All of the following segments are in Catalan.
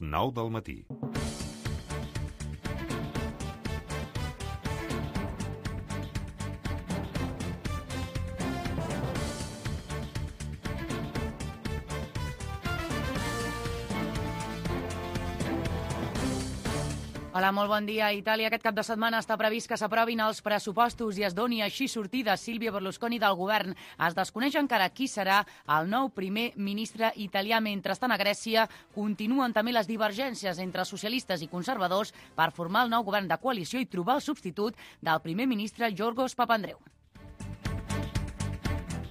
9 del matí. Hola, molt bon dia. A Itàlia aquest cap de setmana està previst que s'aprovin els pressupostos i es doni així sortida a Silvio Berlusconi del govern. Es desconeix encara qui serà el nou primer ministre italià. Mentrestant, a Grècia continuen també les divergències entre socialistes i conservadors per formar el nou govern de coalició i trobar el substitut del primer ministre Giorgos Papandreou.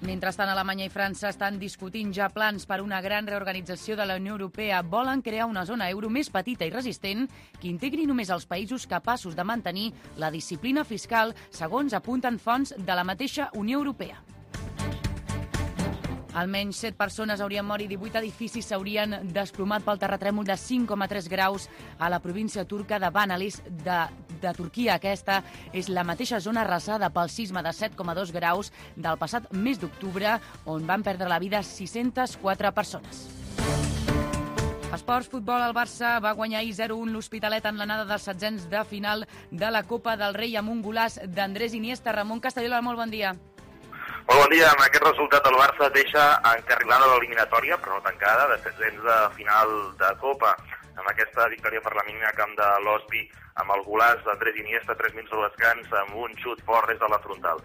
Mentrestant, Alemanya i França estan discutint ja plans per una gran reorganització de la Unió Europea. Volen crear una zona euro més petita i resistent que integri només els països capaços de mantenir la disciplina fiscal, segons apunten fonts de la mateixa Unió Europea. Almenys 7 persones haurien mort i 18 edificis s'haurien desplomat pel terratrèmol de 5,3 graus a la província turca de Banalis de Turquia. Aquesta és la mateixa zona arrasada pel sisme de 7,2 graus del passat mes d'octubre, on van perdre la vida 604 persones. Esports, futbol, el Barça va guanyar 0-1 l'Hospitalet en l'anada dels setzents de final de la Copa del Rei amb un golaç d'Andrés Iniesta. Ramon Castellola, molt bon dia. Molt bon dia. Amb aquest resultat el Barça deixa encarrilada l'eliminatòria, però no tancada, de setzents de final de Copa. Amb aquesta victòria per la mínima camp de l'Hospi, amb el golaç d'Andrés Iniesta 3 minuts de descans, amb un xut fort des de la frontal.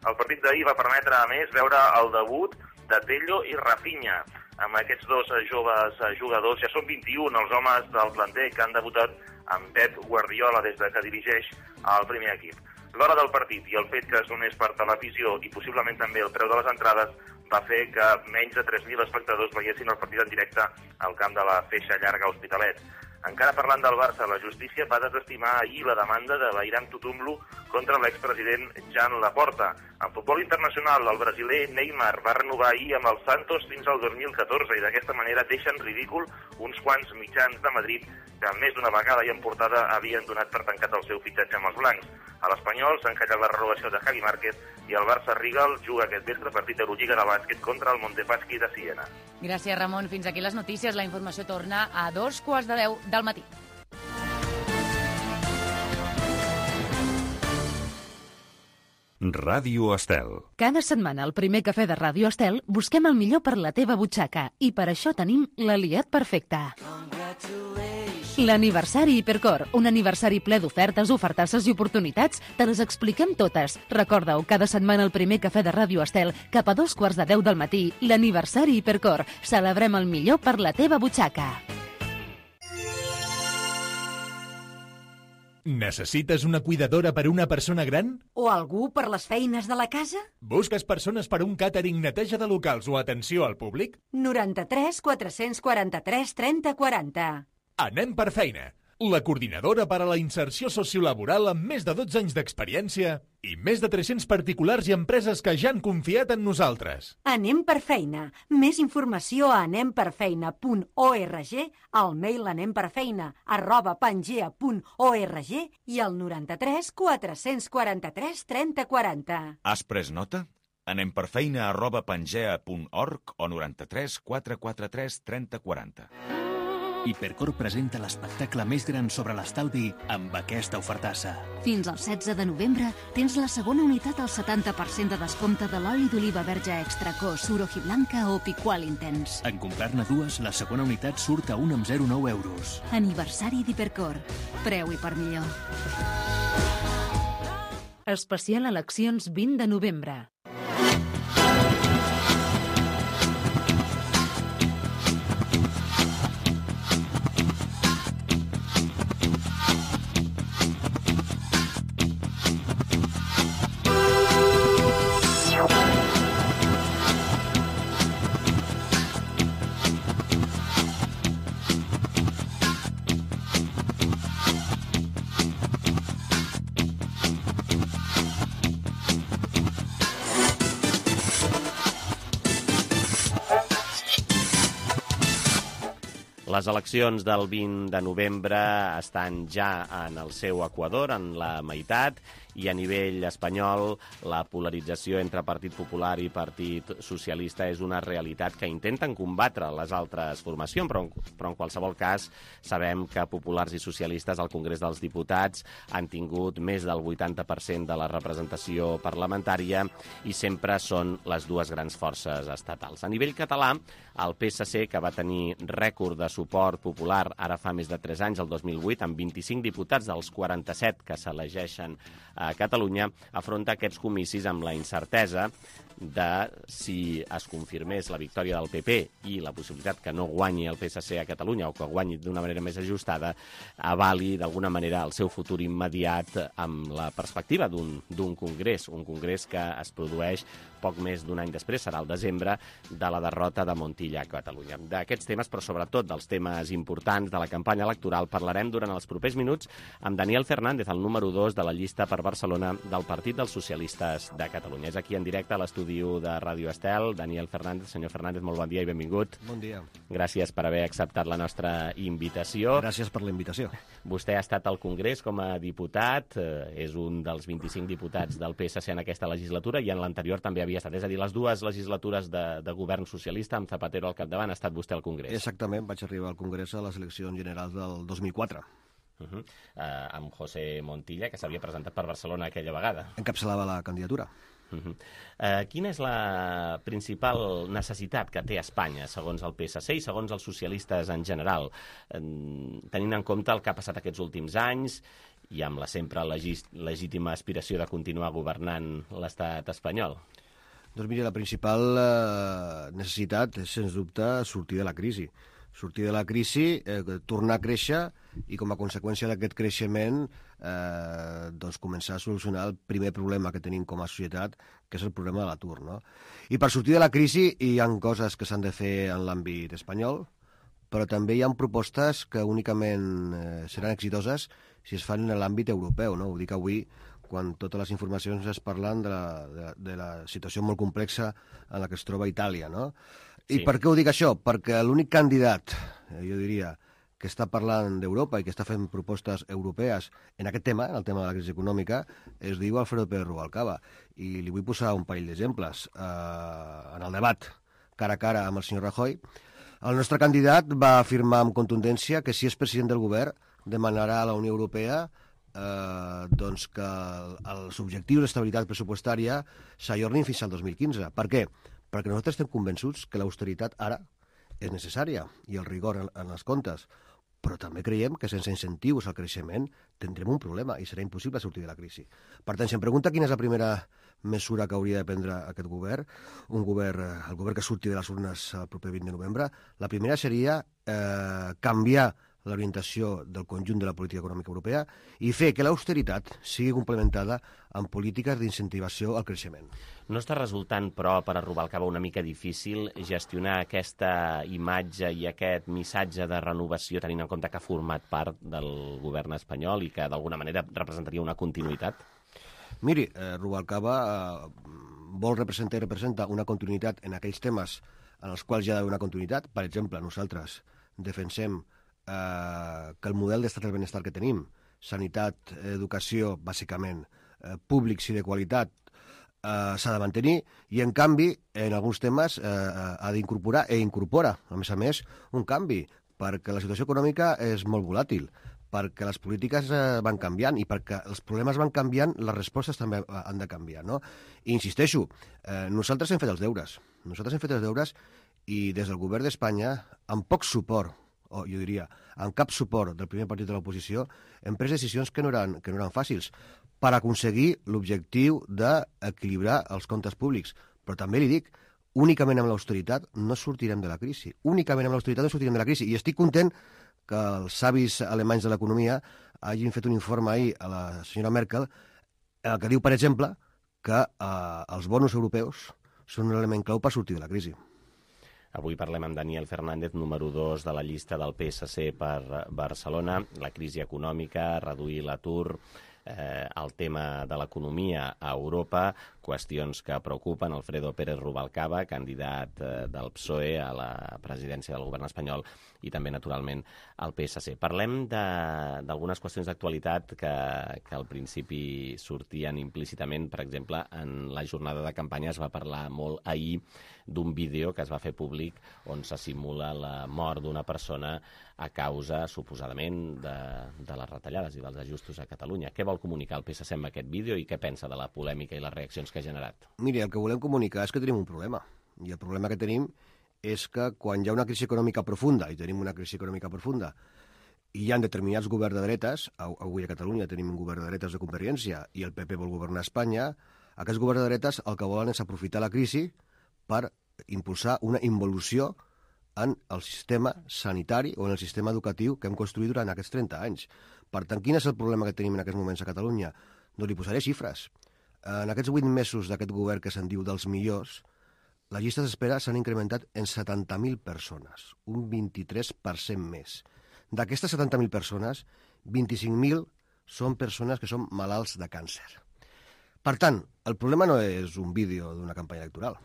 El partit d'ahir va permetre, a més, veure el debut de Tello i Rafinha. Amb aquests dos joves jugadors, ja són 21 els homes del planter que han debutat amb Pep Guardiola des que dirigeix el primer equip. L'hora del partit i el fet que es donés per televisió i possiblement també el preu de les entrades va fer que menys de 3.000 espectadors veiessin el partit en directe al camp de la Feixa Llarga Hospitalet. Encara parlant del Barça, la justícia va desestimar ahir la demanda de Bayram Tutumlu contra l'expresident Jan Laporta. En futbol internacional, el brasiler Neymar va renovar ahir amb el Santos fins al 2014 i d'aquesta manera deixa en ridícul uns quants mitjans de Madrid que més d'una vegada i en portada havien donat per tancat el seu fitxatge amb els blancs. A l'Espanyol s'ha encallat la renovació de Javi Márquez i el Barça Rigal juga aquest vespre partit d'Eurolliga de bàsquet contra el Montepaschi de Siena. Gràcies, Ramon. Fins aquí les notícies. La informació torna a 9:15 del matí. Ràdio Estel. Cada setmana al primer cafè de Ràdio Estel busquem el millor per la teva butxaca i per això tenim l'aliat perfecte. L'aniversari Hipercor, un aniversari ple d'ofertes, ofertasses i oportunitats. Te les expliquem totes. Recorda-ho, cada setmana al primer cafè de Ràdio Estel, cap a 9:15 del matí, l'aniversari Hipercor. Celebrem el millor per la teva butxaca. Necessites una cuidadora per a una persona gran? O algú per les feines de la casa? Busques persones per a un càtering, neteja de locals o atenció al públic? 93 443 30 40. Anem per feina. La coordinadora per a la inserció sociolaboral amb més de 12 anys d'experiència i més de 300 particulars i empreses que ja han confiat en nosaltres. Anem per feina. Més informació a anemperfeina.org, al mail anemperfeina@pangea.org i al 93 443 30 40. Has pres nota? anemperfeina@pangea.org o 93 443 30 40. Hipercor presenta l'espectacle més gran sobre l'estalvi amb aquesta ofertassa. Fins al 16 de novembre tens la segona unitat al 70% de descompte de l'oli d'oliva verge extra cos, Suroji Blanca o Picual Intens. En comprar-ne dues, la segona unitat surt a 1,09 euros. Aniversari d'Hipercor. Preu i per millor. Especial eleccions 20 de novembre. Les eleccions del 20 de novembre estan ja en el seu equador, en la meitat, i a nivell espanyol la polarització entre Partit Popular i Partit Socialista és una realitat que intenten combatre les altres formacions, però en qualsevol cas sabem que populars i socialistes al Congrés dels Diputats han tingut més del 80% de la representació parlamentària i sempre són les dues grans forces estatals. A nivell català, el PSC, que va tenir rècord de suport popular ara fa més de 3 anys, el 2008, amb 25 diputats dels 47 que s'elegeixen a Catalunya, afronta aquests comicis amb la incertesa de si es confirmés la victòria del PP i la possibilitat que no guanyi el PSC a Catalunya o que guanyi d'una manera més ajustada, avali d'alguna manera el seu futur immediat amb la perspectiva d'un congrés, un congrés que es produeix poc més d'un any després, serà el desembre, de la derrota de Montilla a Catalunya. D'aquests temes, però sobretot dels temes importants de la campanya electoral, parlarem durant els propers minuts amb Daniel Fernández, el número 2 de la llista per Barcelona del Partit dels Socialistes de Catalunya. És aquí en directe a l'estudi de Ràdio Estel. Daniel Fernández. Senyor Fernández, molt bon dia i benvingut. Bon dia. Gràcies per haver acceptat la nostra invitació. Gràcies per la invitació. Vostè ha estat al Congrés com a diputat, és un dels 25 diputats del PSC en aquesta legislatura i en l'anterior també havia estat. És a dir, les dues legislatures de govern socialista amb Zapatero al capdavant ha estat vostè al Congrés. Exactament, vaig arribar al Congrés a les eleccions generals del 2004. Amb José Montilla, que s'havia presentat per Barcelona aquella vegada. Encapçalava la candidatura. Quina és la principal necessitat que té Espanya, segons el PSC i segons els socialistes en general, tenint en compte el que ha passat aquests últims anys i amb la sempre legítima aspiració de continuar governant l'estat espanyol? Doncs mira, la principal necessitat és, sens dubte, sortir de la crisi. Sortir de la crisi, tornar a créixer i, com a conseqüència d'aquest creixement, doncs començar a solucionar el primer problema que tenim com a societat, que és el problema de l'atur, no? I per sortir de la crisi hi ha coses que s'han de fer en l'àmbit espanyol, però també hi ha propostes que únicament seran exitoses si es fan en l'àmbit europeu, no? Ho dic avui, quan totes les informacions es parlen de la situació molt complexa en la que es troba Itàlia, no? I per què ho dic això? Perquè l'únic candidat, jo diria, que està parlant d'Europa i que està fent propostes europees en aquest tema, en el tema de la crisi econòmica, es diu Alfredo Pérez Rubalcaba. I li vull posar un parell d'exemples. En el debat cara a cara amb el senyor Rajoy, el nostre candidat va afirmar amb contundència que si és president del govern demanarà a la Unió Europea doncs que els objectius d'estabilitat pressupostària s'ajornin fins al 2015. Per què? Perquè nosaltres estem convençuts que l'austeritat ara és necessària i el rigor en els comptes, però també creiem que sense incentius al creixement tindrem un problema i serà impossible sortir de la crisi. Per tant, si em pregunta quina és la primera mesura que hauria de prendre aquest govern, el govern que surti de les urnes el proper 20 de novembre, la primera seria canviar l'orientació del conjunt de la política econòmica europea i fer que l'austeritat sigui complementada amb polítiques d'incentivació al creixement. No està resultant, però, per a Rubalcaba una mica difícil gestionar aquesta imatge i aquest missatge de renovació tenint en compte que ha format part del govern espanyol i que d'alguna manera representaria una continuïtat? Miri, Rubalcaba vol representar i representa una continuïtat en aquells temes en els quals hi ha d'haver una continuïtat. Per exemple, nosaltres defensem que el model d'estat del benestar que tenim, sanitat, educació, bàsicament, públics i de qualitat, s'ha de mantenir i, en canvi, en alguns temes ha d'incorporar i incorpora, a més, un canvi, perquè la situació econòmica és molt volàtil, perquè les polítiques van canviant i perquè els problemes van canviant, les respostes també han de canviar, no? I insisteixo, nosaltres hem fet els deures i des del govern d'Espanya, amb poc suport, o jo diria, amb cap suport del primer partit de l'oposició, hem pres decisions que no eren fàcils per aconseguir l'objectiu d'equilibrar els comptes públics. Però també li dic, únicament amb l'austeritat no sortirem de la crisi. I estic content que els savis alemanys de l'economia hagin fet un informe ahir a la senyora Merkel que diu, per exemple, que els bonus europeus són un element clau per sortir de la crisi. Avui parlem amb Daniel Fernández, número 2 de la llista del PSC per Barcelona. La crisi econòmica, reduir l'atur, el tema de l'economia a Europa. qüestions que preocupen. Alfredo Pérez Rubalcaba, candidat del PSOE a la presidència del govern espanyol i també, naturalment, al PSC. Parlem d'algunes qüestions d'actualitat que al principi sortien implícitament. Per exemple, en la jornada de campanya es va parlar molt ahir d'un vídeo que es va fer públic on se simula la mort d'una persona a causa, suposadament, de les retallades i dels ajustos a Catalunya. Què vol comunicar el PSC amb aquest vídeo i què pensa de la polèmica i les reaccions que ha generat? Miri, el que volem comunicar és que tenim un problema. I el problema que tenim és que quan hi ha una crisi econòmica profunda, i tenim una crisi econòmica profunda, i hi ha determinats governs de dretes, avui a Catalunya tenim un govern de dretes de Convergència i el PP vol governar Espanya, aquests governs de dretes el que volen és aprofitar la crisi per impulsar una involució en el sistema sanitari o en el sistema educatiu que hem construït durant aquests 30 anys. Per tant, quin és el problema que tenim en aquests moments a Catalunya? Doncs li posaré xifres. En aquests 8 mesos d'aquest govern que se'n diu dels millors, les llistes d'espera s'han incrementat en 70.000 persones, un 23% més. D'aquestes 70.000 persones, 25.000 són persones que són malalts de càncer. Per tant, el problema no és un vídeo d'una campanya electoral.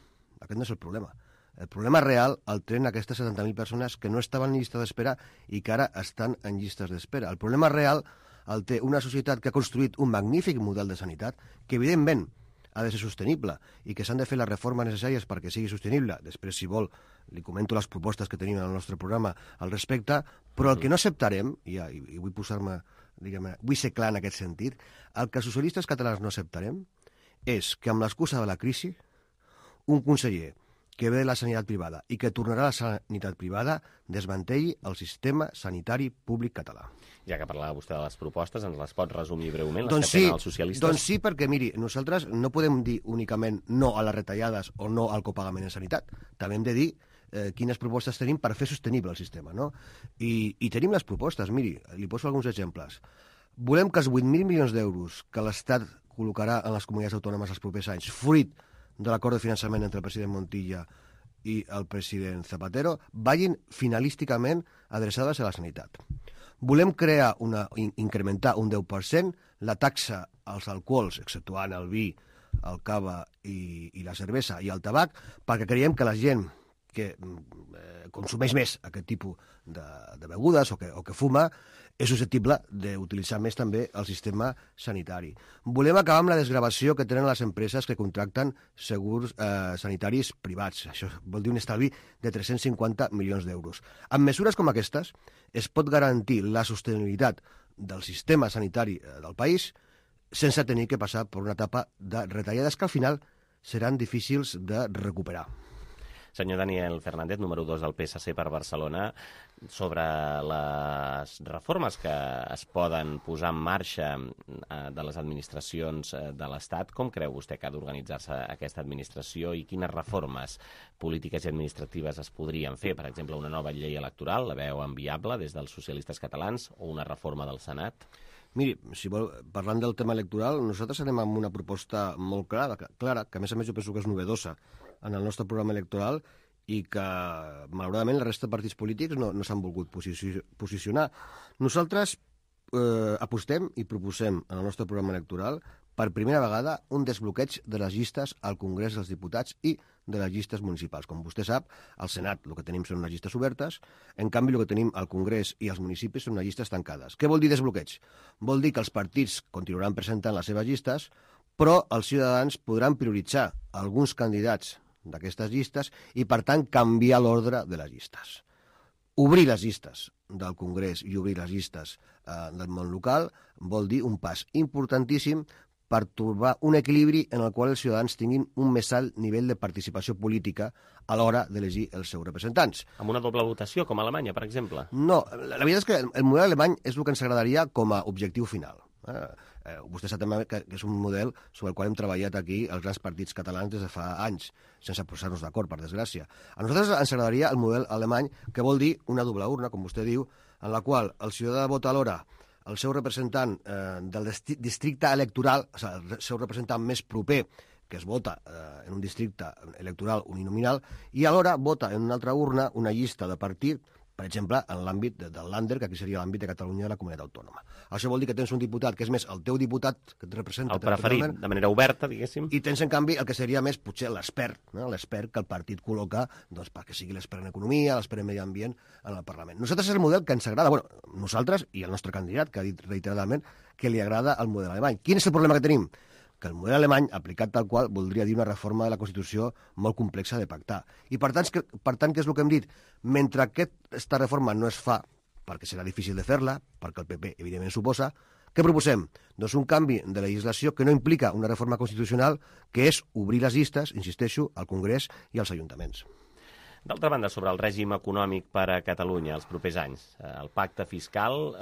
Aquest no és el problema. El problema real el tenen aquestes 70.000 persones que no estaven en llista d'espera i que ara estan en llistes d'espera. El problema real el té una societat que ha construït un magnífic model de sanitat que, evidentment, ha de ser sostenible i que s'han de fer les reformes necessàries perquè sigui sostenible. Després, si vol, li comento les propostes que tenim en el nostre programa al respecte, però el que no acceptarem, i vull posar-me, diguem-ne, vull ser clar en aquest sentit, el que els socialistes catalans no acceptarem és que amb l'excusa de la crisi un conseller que ve de la sanitat privada i que tornarà a la sanitat privada desmantelli el sistema sanitari públic català. Ja que parlava vostè de les propostes, ens les pot resumir breument, les que tenen els socialistes? Doncs sí, perquè, miri, nosaltres no podem dir únicament no a les retallades o no al copagament en sanitat. També hem de dir quines propostes tenim per fer sostenible el sistema, no? I tenim les propostes, miri, li poso alguns exemples. Volem que els 8.000 milions d'euros que l'Estat col·locarà en les comunitats autònomes els propers anys, fruit de l'acord de finançament entre el president Montilla i el president Zapatero, vagin finalísticament adreçades a la sanitat. Volem incrementar un 10% la taxa als alcohols, exceptuant el vi, el cava i la cervesa i el tabac, perquè creiem que la gent que consumeix més aquest tipus de begudes o que fuma és susceptible d'utilitzar més també el sistema sanitari. Volem acabar amb la desgravació que tenen les empreses que contracten segurs sanitaris privats. Això vol dir un estalvi de 350 milions d'euros. Amb mesures com aquestes es pot garantir la sostenibilitat del sistema sanitari del país sense tenir que passar per una etapa de retallades que al final seran difícils de recuperar. Senyor Daniel Fernández, número 2 del PSC per Barcelona, sobre les reformes que es poden posar en marxa de les administracions de l'Estat, com creu vostè que ha d'organitzar-se aquesta administració i quines reformes polítiques i administratives es podrien fer? Per exemple, una nova llei electoral, la veu enviable des dels socialistes catalans, o una reforma del Senat? Miri, si vol, parlant del tema electoral, nosaltres anem amb una proposta molt clara, que a més jo penso que és novedosa en el nostre programa electoral i que, malauradament, la resta de partits polítics no s'han volgut posicionar. Nosaltres apostem i proposem en el nostre programa electoral per primera vegada un desbloqueig de les llistes al Congrés dels Diputats i de les llistes municipals. Com vostè sap, al Senat el que tenim són unes llistes obertes, en canvi el que tenim al Congrés i als municipis són unes llistes tancades. Què vol dir desbloqueig? Vol dir que els partits continuaran presentant les seves llistes, però els ciutadans podran prioritzar alguns candidats d'aquestes llistes i, per tant, canviar l'ordre de les llistes. Obrir les llistes del Congrés i obrir les llistes del món local vol dir un pas importantíssim per trobar un equilibri en el qual els ciutadans tinguin un més alt nivell de participació política a l'hora d'elegir els seus representants. Amb una doble votació, com a Alemanya, per exemple? No, la veritat és que el model alemany és el que ens agradaria com a objectiu final. Vostè sap també que és un model sobre el qual hem treballat aquí els grans partits catalans des de fa anys, sense posar-nos d'acord, per desgràcia. A nosaltres ens agradaria el model alemany, que vol dir una doble urna, com vostè diu, en la qual el ciutadà vota alhora el seu representant del districte electoral, o sigui, el seu representant més proper, que es vota en un districte electoral uninominal, i alhora vota en una altra urna una llista de partit, Per exemple, en l'àmbit del Länder, que aquí seria l'àmbit de Catalunya de la comunitat autònoma. Això vol dir que tens un diputat que és més el teu diputat, que et representa... El preferit, de manera oberta, diguéssim. I tens, en canvi, el que seria més, potser, l'expert, no? L'expert que el partit col·loca doncs, perquè sigui l'expert en economia, l'expert en medi ambient en el Parlament. Nosaltres és el model que ens agrada, bueno, nosaltres i el nostre candidat, que ha dit reiteradament que li agrada el model alemany. Quin és el problema que tenim? Que el model alemany, aplicat tal qual, voldria dir una reforma de la Constitució molt complexa de pactar. I per tant, què és el que hem dit? Mentre aquesta reforma no es fa, perquè serà difícil de fer-la, perquè el PP evidentment s'oposa, què proposem? Doncs un canvi de legislació que no implica una reforma constitucional, que és obrir les llistes, insisteixo, al Congrés i als ajuntaments. D'altra banda, sobre el règim econòmic per a Catalunya els propers anys, el pacte fiscal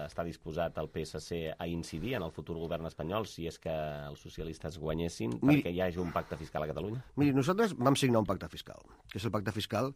està disposat el PSC a incidir en el futur govern espanyol si és que els socialistes guanyessin perquè hi hagi un pacte fiscal a Catalunya? Miri, nosaltres vam signar un pacte fiscal, que és el pacte fiscal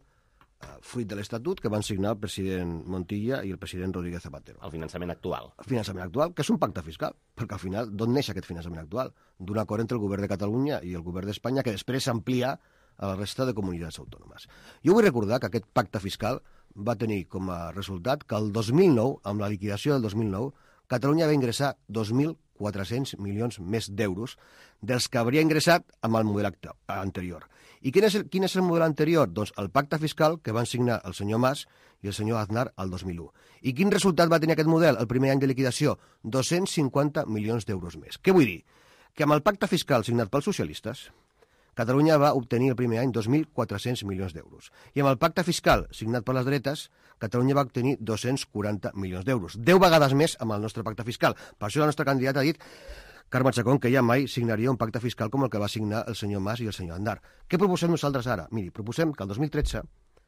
fruit de l'Estatut que van signar el president Montilla i el president Rodríguez Zapatero. El finançament actual. El finançament actual, que és un pacte fiscal, perquè al final d'on neix aquest finançament actual? D'un acord entre el govern de Catalunya i el govern d'Espanya que després s'amplia a la resta de comunitats autònomes. Jo vull recordar que aquest pacte fiscal va tenir com a resultat que el 2009, amb la liquidació del 2009, Catalunya va ingressar 2.400 milions més d'euros dels que hauria ingressat amb el model anterior. I quin és el model anterior? Doncs el pacte fiscal que van signar el senyor Mas i el senyor Aznar el 2001. I quin resultat va tenir aquest model el primer any de liquidació? 250 milions d'euros més. Què vull dir? Que amb el pacte fiscal signat pels socialistes, Catalunya va obtenir el primer any 2.400 milions d'euros. I amb el pacte fiscal signat per les dretes, Catalunya va obtenir 240 milions d'euros. 10 vegades més amb el nostre pacte fiscal. Per això el nostre candidat ha dit, Carme Chacón, que ja mai signaria un pacte fiscal com el que va signar el senyor Mas i el senyor Aznar. Què proposem nosaltres ara? Miri, proposem que el 2013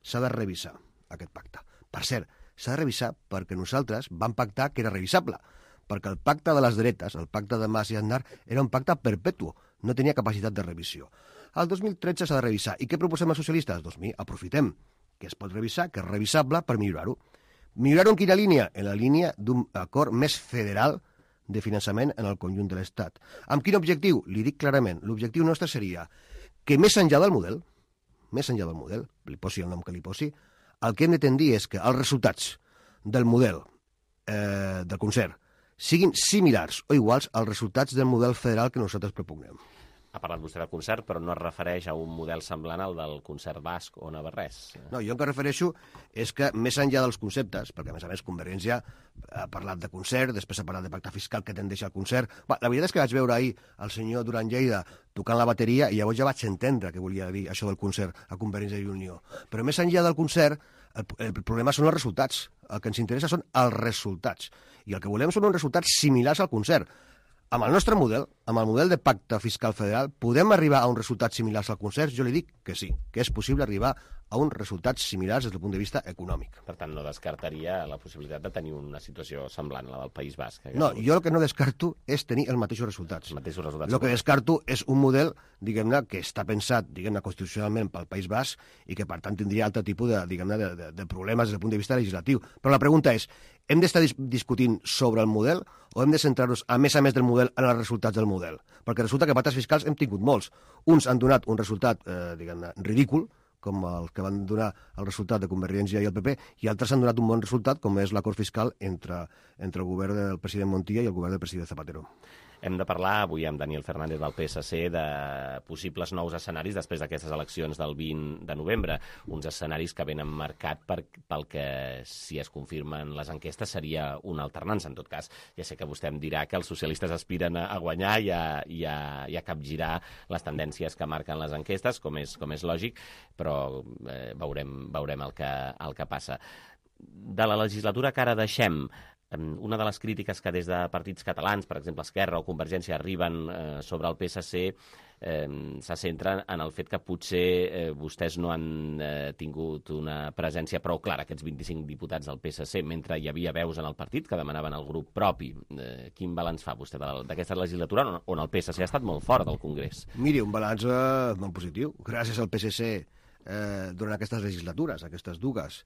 s'ha de revisar aquest pacte. Per cert, s'ha de revisar perquè nosaltres vam pactar que era revisable, perquè el pacte de les dretes, el pacte de Mas i Aznar, era un pacte perpetu, no tenia capacitat de revisió. El 2013 s'ha de revisar. I què proposem als socialistes? Doncs mira, aprofitem que es pot revisar, que és revisable, per millorar-ho. Millorar-ho en quina línia? En la línia d'un acord més federal de finançament en el conjunt de l'Estat. Amb quin objectiu? Li dic clarament, l'objectiu nostre seria que més enllà del model, li posi el nom que li posi, el que hem de tendir és que els resultats del model del concert siguin similars o iguals als resultats del model federal que nosaltres propugnem. Ha parlat vostè del concert, però no es refereix a un model semblant al del concert basc o navarrès. No, jo el que refereixo és que, més enllà dels conceptes, perquè a més Convergència ha parlat de concert, després ha parlat de pacte fiscal que tendeix al concert... La veritat és que vaig veure ahir el senyor Duran Lleida tocant la bateria i llavors ja vaig entendre què volia dir això del concert a Convergència i Unió. Però més enllà del concert, el problema són els resultats. El que ens interessa són els resultats. I el que volem són uns resultats similars al concert. Amb el nostre model, amb el model de pacte fiscal federal, podem arribar a uns resultats similars al concert? Jo li dic que sí, que és possible arribar a uns resultats similars des del punt de vista econòmic. Per tant, no descartaria la possibilitat de tenir una situació semblant a la del País Basc. No, jo el que no descarto és tenir els mateixos resultats. Els mateixos resultats. El que descarto és un model, diguem-ne, que està pensat, diguem-ne, constitucionalment pel País Basc i que, per tant, tindria altre tipus de, diguem-ne, de problemes des del punt de vista legislatiu. Però la pregunta és, hem d'estar discutint sobre el model o hem de centrar-nos, a més del model, en els resultats del model? Perquè resulta que pactes fiscals hem tingut molts. Uns han donat un resultat, diguem-ne, ridícul, com el que van donar el resultat de Convergència i el PP, i altres han donat un bon resultat, com és l'acord fiscal entre el govern del president Montilla i el govern del president Zapatero. Hem de parlar avui amb Daniel Fernández del PSC de possibles nous escenaris després d'aquestes eleccions del 20 de novembre. Uns escenaris que venen marcat pel que, si es confirmen les enquestes, seria una alternança. En tot cas, ja sé que vostè em dirà que els socialistes aspiren a guanyar i a capgirar les tendències que marquen les enquestes, com és lògic, però veurem el que passa. De la legislatura que ara deixem, una de les crítiques que des de partits catalans, per exemple Esquerra o Convergència, arriben sobre el PSC se centren en el fet que potser vostès no han tingut una presència prou clara, aquests 25 diputats del PSC, mentre hi havia veus en el partit que demanaven el grup propi. Quin balanç fa vostè d'aquesta legislatura on el PSC ha estat molt fort del Congrés? Miri, un balanç molt positiu. Gràcies al PSC, durant aquestes legislatures, aquestes dues,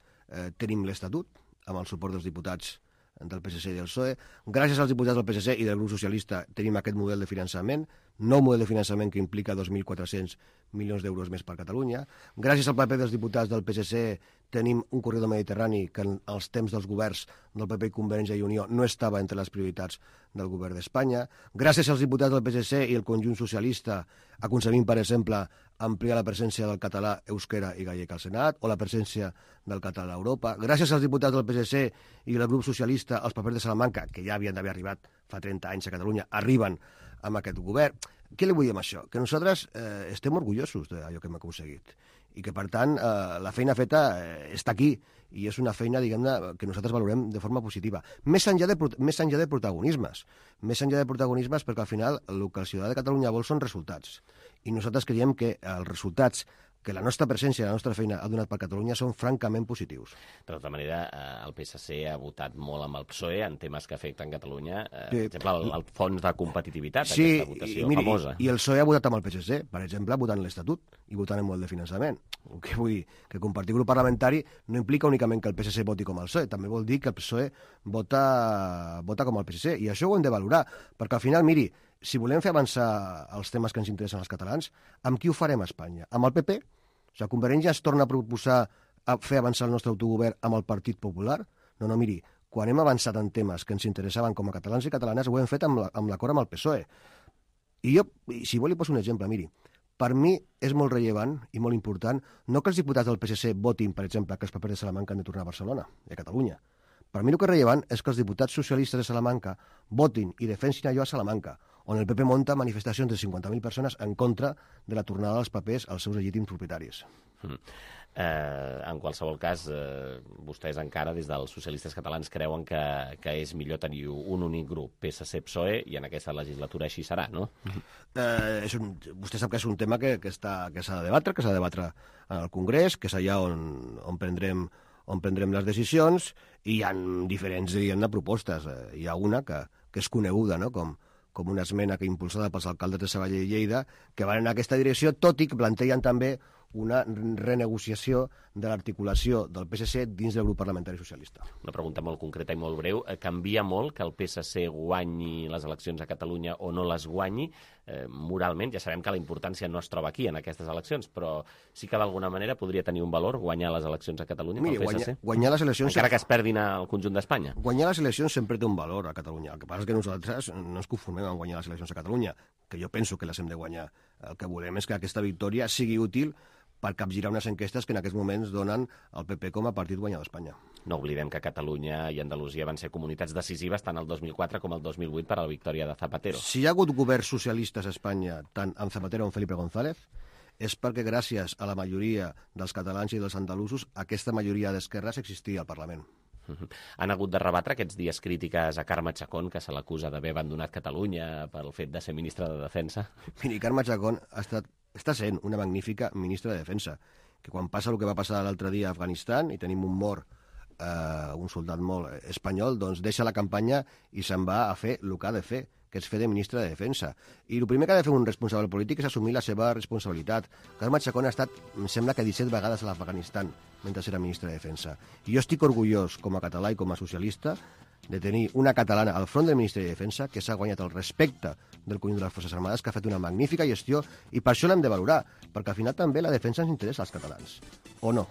tenim l'Estatut, amb el suport dels diputats del PSC i del PSOE. Gràcies als diputats del PSC i del grup socialista tenim aquest model de finançament, nou model de finançament que implica 2.400 milions d'euros més per Catalunya. Gràcies al paper dels diputats del PSC tenim un corredor mediterrani que en els temps dels governs del PP i Convergència i Unió no estava entre les prioritats del govern d'Espanya. Gràcies als diputats del PSC i el conjunt socialista aconseguim, per exemple, ampliar la presència del català, euskera i gallec al Senat, o la presència del català a Europa. Gràcies als diputats del PSC i del grup socialista, els papers de Salamanca, que ja havien d'haver arribat fa 30 anys a Catalunya, arriben amb aquest govern. Què li vull dir amb això? Que nosaltres estem orgullosos d'allò que hem aconseguit i que, per tant, la feina feta està aquí i és una feina, diguem-ne, que nosaltres valorem de forma positiva. Més enllà de protagonismes. Més enllà de protagonismes perquè, al final, el que el ciutadà de Catalunya vol són resultats. I nosaltres creiem que els resultats que la nostra presència i la nostra feina ha donat per Catalunya són francament positius. De tota manera, el PSC ha votat molt amb el PSOE en temes que afecten Catalunya. Per exemple, el fons de competitivitat, aquesta votació famosa. I el PSOE ha votat amb el PSC, per exemple, votant l'Estatut i votant en molt de finançament. Què vull dir? Que compartir grup parlamentari no implica únicament que el PSC voti com el PSOE, també vol dir que el PSOE vota com el PSC, i això ho hem de valorar, perquè al final, miri, si volem fer avançar els temes que ens interessen als catalans, amb qui ho farem a Espanya? Amb el PP? O sigui, Convergència es torna a proposar a fer avançar el nostre autogovern amb el Partit Popular? No, miri, quan hem avançat en temes que ens interessaven com a catalans i catalanes, ho hem fet amb l'acord amb el PSOE. I jo, si vol, li poso un exemple, miri. Per mi és molt rellevant i molt important no que els diputats del PSC votin, per exemple, que els papers de Salamanca han de tornar a Barcelona i a Catalunya. Per mi el que és rellevant és que els diputats socialistes de Salamanca votin i defensin allò a Salamanca, on el PP monta manifestacions de 50.000 persones en contra de la tornada dels papers als seus legítims propietaris. En qualsevol cas, vostès encara, des dels socialistes catalans, creuen que és millor tenir un únic grup, PSC-PSOE, i en aquesta legislatura així serà, no? Vostè sap que és un tema que s'ha de debatre en el Congrés, que és allà on prendrem les decisions, i hi ha diferents, diguem-ne, propostes. Hi ha una que és coneguda, no?, com una esmena que impulsada pels alcaldes de Sabadell i Lleida, que van en aquesta direcció, tot i que plantegen també una renegociació de l'articulació del PSC dins del grup parlamentari socialista. Una pregunta molt concreta i molt breu. Canvia molt que el PSC guanyi les eleccions a Catalunya o no les guanyi? Moralment, ja sabem que la importància no es troba aquí, en aquestes eleccions, però sí que d'alguna manera podria tenir un valor guanyar les eleccions a Catalunya pel PSC? Guanyar les eleccions... Encara que es perdin al conjunt d'Espanya. Guanyar les eleccions sempre té un valor a Catalunya. El que passa és que nosaltres no ens conformem en guanyar les eleccions a Catalunya, que jo penso que les hem de guanyar. El que volem és que aquesta victòria sigui útil per capgirar unes enquestes que en aquests moments donen el PP com a partit guanyador d'Espanya. No oblidem que Catalunya i Andalusia van ser comunitats decisives tant el 2004 com el 2008 per a la victòria de Zapatero. Si hi ha hagut governs socialistes a Espanya, tant amb Zapatero com amb Felipe González, és perquè gràcies a la majoria dels catalans i dels andalusos aquesta majoria d'esquerres existia al Parlament. Han hagut de rebatre aquests dies crítiques a Carme Chacón, que se l'acusa d'haver abandonat Catalunya pel fet de ser ministra de Defensa? Miri, Carme Chacón està sent una magnífica ministra de Defensa, que quan passa el que va passar l'altre dia a Afganistan i tenim un mort, un soldat molt espanyol, doncs deixa la campanya i se'n va a fer el que ha de fer, que és fer de ministre de Defensa. I el primer que ha de fer un responsable polític és assumir la seva responsabilitat. Carme Chacón ha estat, em sembla que 17 vegades a l'Afganistan mentre era ministre de Defensa. I jo estic orgullós, com a català i com a socialista, de tenir una catalana al front del Ministeri de Defensa que s'ha guanyat el respecte del conjunt de les Forces Armades, que ha fet una magnífica gestió, i per això l'hem de valorar, perquè al final també la defensa ens interessa als catalans. O no?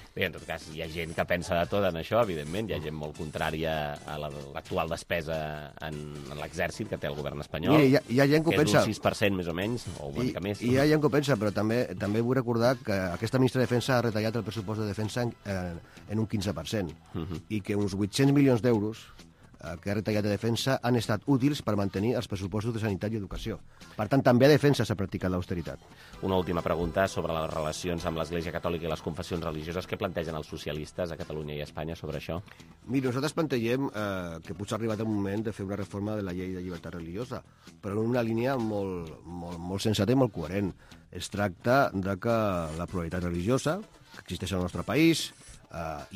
Bé, en tot cas, hi ha gent que pensa de tot en això, evidentment. Hi ha gent molt contrària a l'actual despesa en l'exèrcit que té el govern espanyol. Mira, hi ha gent que ho pensa. És un 6% més o menys, o una mica més. Hi ha gent que ho pensa, però també vull recordar que aquesta ministra de Defensa ha retallat el pressupost de defensa en un 15%, i que uns 800 milions d'euros que ha retallat de defensa han estat útils per mantenir els pressupostos de sanitat i educació. Per tant, també a defensa s'ha practicat l'austeritat. Una última pregunta sobre les relacions amb l'Església Catòlica i les confessions religioses. Què plantegen els socialistes a Catalunya i a Espanya sobre això? Mira, nosaltres plantegem que potser ha arribat el moment de fer una reforma de la llei de llibertat religiosa, però en una línia molt sensata i molt coherent. Es tracta de que la pluralitat religiosa que existeix al nostre país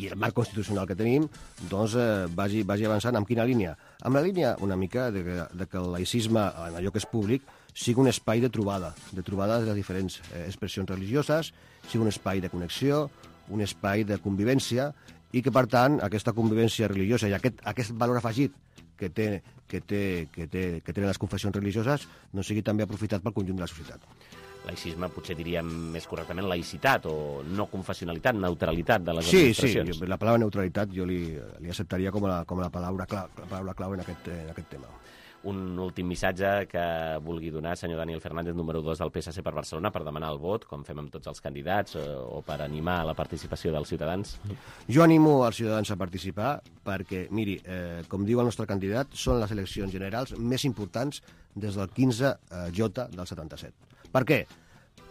i el marc constitucional que tenim doncs vagi avançant. Amb quina línia? Amb la línia una mica de que el laïcisme, en allò que és públic, sigui un espai de trobada de les diferents expressions religioses, sigui un espai de connexió, un espai de convivència, i que, per tant, aquesta convivència religiosa i aquest valor afegit que tenen les confessions religioses no sigui també aprofitat pel conjunt de la societat. laïcisme potser diríem més correctament laïcitat o no confessionalitat, neutralitat de les Sí, administracions. la paraula neutralitat jo li acceptaria com la paraula clau en aquest tema. Un últim missatge que vulgui donar, senyor Daniel Fernández, número 2 del PSC per Barcelona, per demanar el vot, com fem amb tots els candidats, o per animar la participació dels ciutadans? Jo animo els ciutadans a participar perquè, miri, com diu el nostre candidat, són les eleccions generals més importants des del 15J del 77. Per què?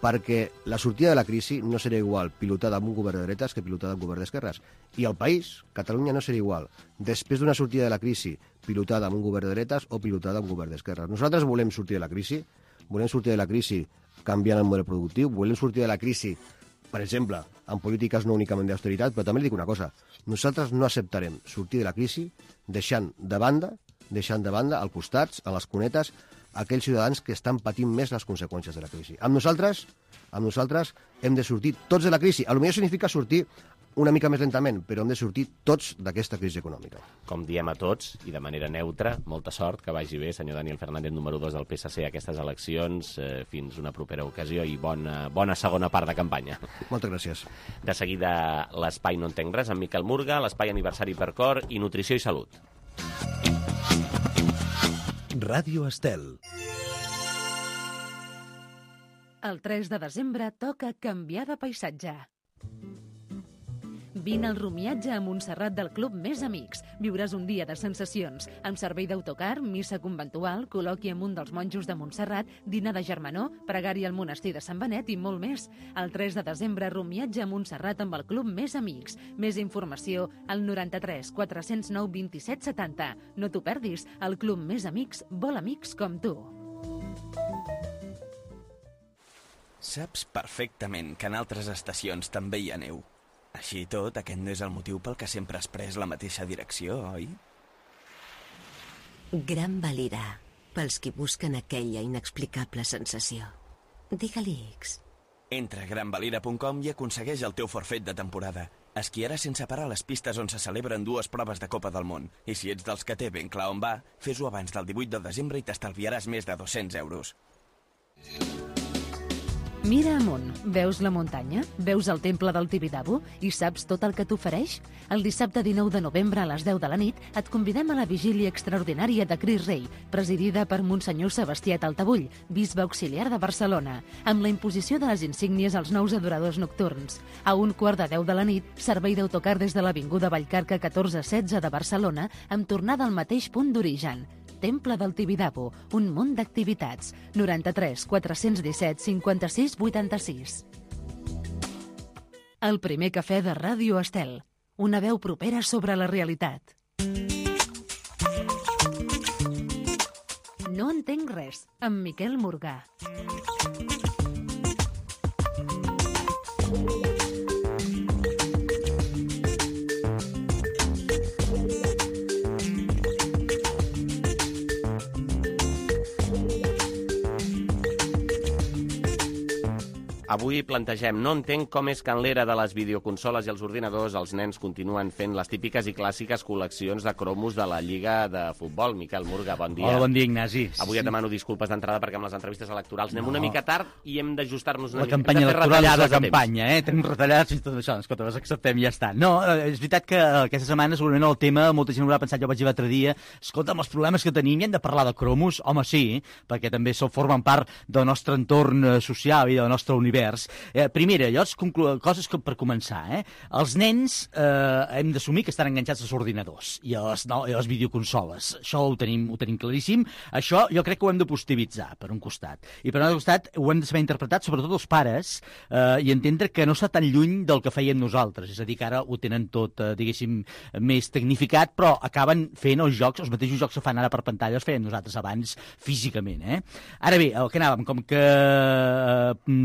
Perquè la sortida de la crisi no serà igual pilotada amb un govern de dretes que pilotada amb un govern d'esquerres. I el país, Catalunya, no serà igual després d'una sortida de la crisi pilotada amb un govern de dretes o pilotada amb un govern d'esquerres. Nosaltres volem sortir de la crisi canviant el model productiu, volem sortir de la crisi, per exemple, amb polítiques no únicament d'austeritat, però també li dic una cosa, nosaltres no acceptarem sortir de la crisi deixant de banda al costat, a les cunetes, aquells ciutadans que estan patint més les conseqüències de la crisi. Amb nosaltres hem de sortir tots de la crisi. Potser significa sortir una mica més lentament, però hem de sortir tots d'aquesta crisi econòmica. Com diem a tots, i de manera neutra, molta sort, que vagi bé, senyor Daniel Fernández, número 2 del PSC, a aquestes eleccions. Fins una propera ocasió i bona segona part de campanya. Moltes gràcies. De seguida, l'Espai No entenc res, amb Miquel Murga, l'Espai Aniversari per Cor i Nutrició i Salut. Ràdio Estel. El 3 de desembre toca canviar de paisatge. Vine al rumiatge a Montserrat del Club Més Amics. Viuràs un dia de sensacions, amb servei d'autocar, missa conventual, col·loqui amb un dels monjos de Montserrat, dinar de germanor, pregària al monestir de Sant Benet i molt més. El 3 de desembre, rumiatge a Montserrat amb el Club Més Amics. Més informació al 93 409 27 70. No t'ho perdis, el Club Més Amics vol amics com tu. Saps perfectament que en altres estacions també hi ha neu. Així i tot, aquest no és el motiu pel que sempre has pres la mateixa direcció, oi? Gran Valira, pels qui busquen aquella inexplicable sensació. Digue-li X. Entra a granvalira.com i aconsegueix el teu forfait de temporada. Esquiaràs sense parar a les pistes on se celebren 2 proves de Copa del Món. I si ets dels que té ben clar on va, fes-ho abans del 18 de desembre i t'estalviaràs més de 200 euros. Mira amunt, veus la muntanya? Veus el temple del Tibidabo? I saps tot el que t'ofereix? El dissabte 19 de novembre a les 10 de la nit et convidem a la vigília extraordinària de Cris Rei, presidida per Monsenyor Sebastià Taltabull, bisbe auxiliar de Barcelona, amb la imposició de les insígnies als nous adoradors nocturns. A 1:15 de la nit, servei d'autocar des de l'Avinguda Vallcarca 1416 de Barcelona, amb tornada al mateix punt d'origen. Temple del Tibidabo, un munt d'activitats. 93 417 56 86. El primer cafè de Ràdio Estel. Una veu propera sobre la realitat. No entenc res, amb Miquel Murga. Avui plantegem, no entenc com és que en l'era de les videoconsoles i els ordinadors els nens continuen fent les típiques i clàssiques col·leccions de cromos de la Lliga de Futbol. Miquel Murga, bon dia. Hola, bon dia, Ignasi. Avui et demano disculpes d'entrada perquè amb les entrevistes electorals anem una mica tard i hem d'ajustar-nos una mica. La campanya electoral és la campanya, Tenim retallades i tot això. Escolta, les acceptem i ja està. No, és veritat que aquesta setmana segurament el tema, molta gent haurà pensat, jo vaig dir l'altre dia, escolta, amb els problemes que tenim, hem de parlar de cromos? Home, sí, perquè també formen part del nostre entorn social i del nostre univers. Primera, coses que per començar, els nens hem d'assumir que estan enganxats als ordinadors i a les videoconsoles. Això ho tenim claríssim. Això jo crec que ho hem de positivitzar, per un costat. I per un altre costat ho hem de saber interpretar, sobretot els pares, i entendre que no està tan lluny del que fèiem nosaltres. És a dir, que ara ho tenen tot, diguéssim, més tecnificat, però acaben fent els jocs, els mateixos jocs que fan ara per pantalla els fèiem nosaltres abans físicament. Ara bé, el que anàvem, com que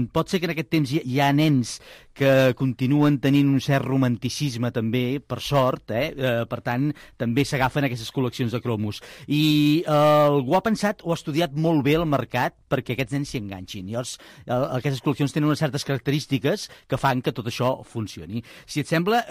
pot ser que en aquest temps hi ha nens que continuen tenint un cert romanticisme també, per sort, per tant, també s'agafen aquestes col·leccions de cromos. I algú ha pensat o ha estudiat molt bé el mercat perquè aquests nens s'hi enganxin. Llavors, aquestes col·leccions tenen unes certes característiques que fan que tot això funcioni. Si et sembla,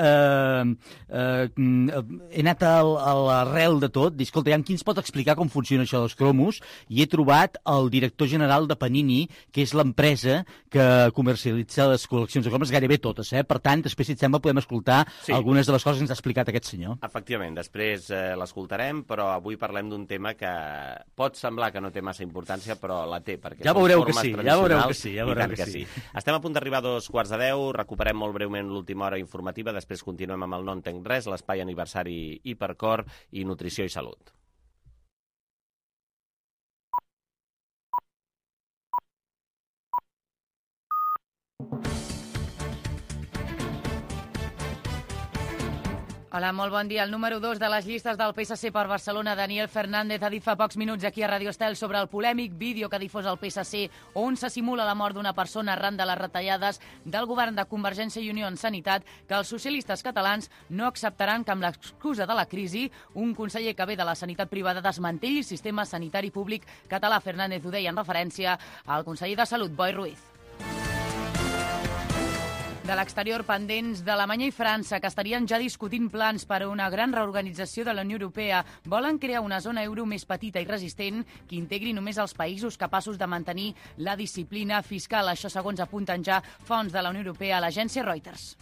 he anat a l'arrel de tot, dic, escolta, qui ens pot explicar com funciona això dels cromos? I he trobat el director general de Panini, que és l'empresa que comercialitza les col·leccions de cromos, gairebé totes, Per tant, després, si et sembla, podem escoltar algunes de les coses que ens ha explicat aquest senyor. Efectivament, després l'escoltarem, però avui parlem d'un tema que pot semblar que no té massa importància, però la té, perquè ja veureu que sí, ja veureu que sí. Estem a punt d'arribar a 2:15, recuperem molt breument l'última hora informativa, després continuem amb el No entenc res, l'espai aniversari Hipercor i Nutrició i Salut. Hola, molt bon dia. El número 2 de les llistes del PSC per Barcelona, Daniel Fernández, ha dit fa pocs minuts aquí a Radio Estel sobre el polèmic vídeo que ha difós el PSC on se simula la mort d'una persona arran de les retallades del govern de Convergència i Unió en Sanitat, que els socialistes catalans no acceptaran que amb l'excusa de la crisi un conseller que ve de la sanitat privada desmantelli el sistema sanitari públic català. Fernández ho deia en referència al conseller de Salut, Boi Ruiz. De l'exterior, pendents d'Alemanya i França, que estarien ja discutint plans per a una gran reorganització de la Unió Europea. Volen crear una zona euro més petita i resistent que integri només els països capaços de mantenir la disciplina fiscal. Això segons apunten ja fonts de la Unió Europea a l'agència Reuters.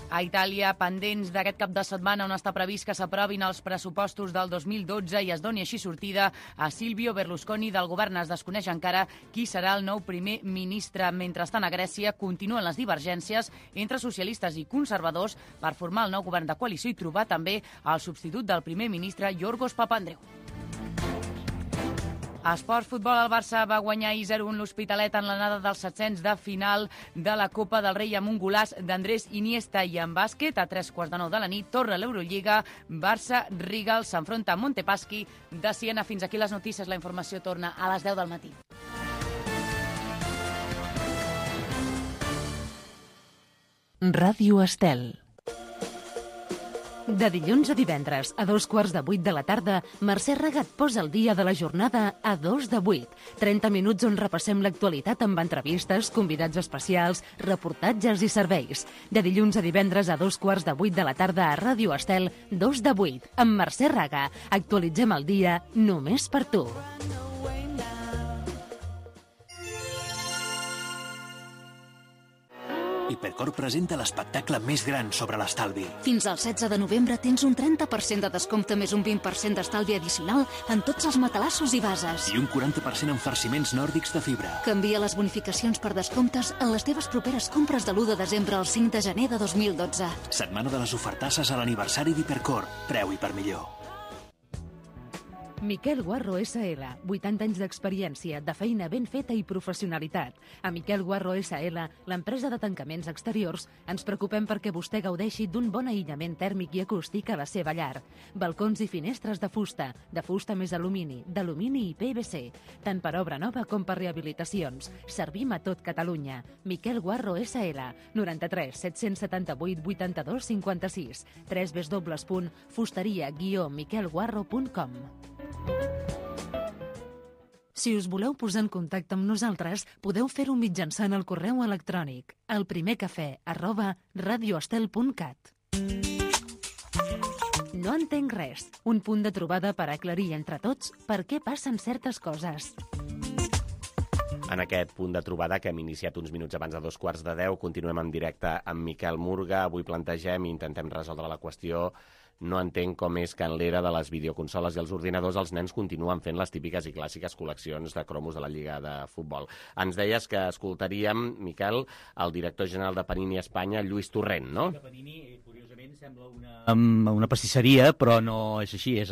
A Itàlia, pendents d'aquest cap de setmana on està previst que s'aprovin els pressupostos del 2012 i es doni així sortida a Silvio Berlusconi del govern. Es desconeix encara qui serà el nou primer ministre. Mentrestant, a Grècia continuen les divergències entre socialistes i conservadors per formar el nou govern de coalició i trobar també el substitut del primer ministre Yorgos Papandreou. A Esports Futbol, el Barça va guanyar 0-1 l'Hospitalet en l'anada dels 700 de final de la Copa del Rei amb un golaç d'Andrés Iniesta. I en bàsquet, a 3:45 de la nit, torna l'Eurolliga. Barça-Rigal s'enfronta a Montepaschi de Siena. Fins aquí les notícies. La informació torna a les 10 del matí. Ràdio Estel. De dilluns a divendres, a 7:15 de la tarda, Mercè Regat posa el dia de la jornada a 7:02. 30 minuts on repassem l'actualitat amb entrevistes, convidats especials, reportatges i serveis. De dilluns a divendres a 7:15 de la tarda a Ràdio Estel, 2:08, amb Mercè Regat. Actualitzem el dia només per tu. Hipercor presenta l'espectacle més gran sobre l'estalvi. Fins al 16 de novembre tens un 30% de descompte més un 20% d'estalvi addicional en tots els matalassos i bases. I un 40% en farciments nòrdics de fibra. Canvia les bonificacions per descomptes en les teves properes compres de l'1 de desembre al 5 de gener de 2012. Setmana de les ofertasses a l'aniversari d'Hipercor. Preu Hipermillor. Miquel Guarro SL, 80 anys d'experiència, de feina ben feta i professionalitat. A Miquel Guarro SL, l'empresa de tancaments exteriors, ens preocupem perquè vostè gaudeixi d'un bon aïllament tèrmic i acústic a la seva llar. Balcons i finestres de fusta més alumini, d'alumini i PVC, tant per obra nova com per rehabilitacions. Servim a tot Catalunya. Miquel Guarro SL, 93 778 82 56, www.fusteria-miquelguarro.com. Si us voleu posar en contacte amb nosaltres, podeu fer-ho mitjançant el correu electrònic elprimercafè@radioestel.cat. No entenc res. Un punt de trobada per aclarir entre tots per què passen certes coses. En aquest punt de trobada que hem iniciat uns minuts abans de 9:15, continuem en directe amb Miquel Murga. Avui plantegem i intentem resoldre la qüestió. No entenc com és que en l'era de les videoconsoles i els ordinadors els nens continuen fent les típiques i clàssiques col·leccions de cromos de la Lliga de Futbol. Ens deies que escoltaríem, Miquel, el director general de Panini Espanya, Lluís Torrent, no? Panini, curiosament, sembla una pastisseria, però no és així. És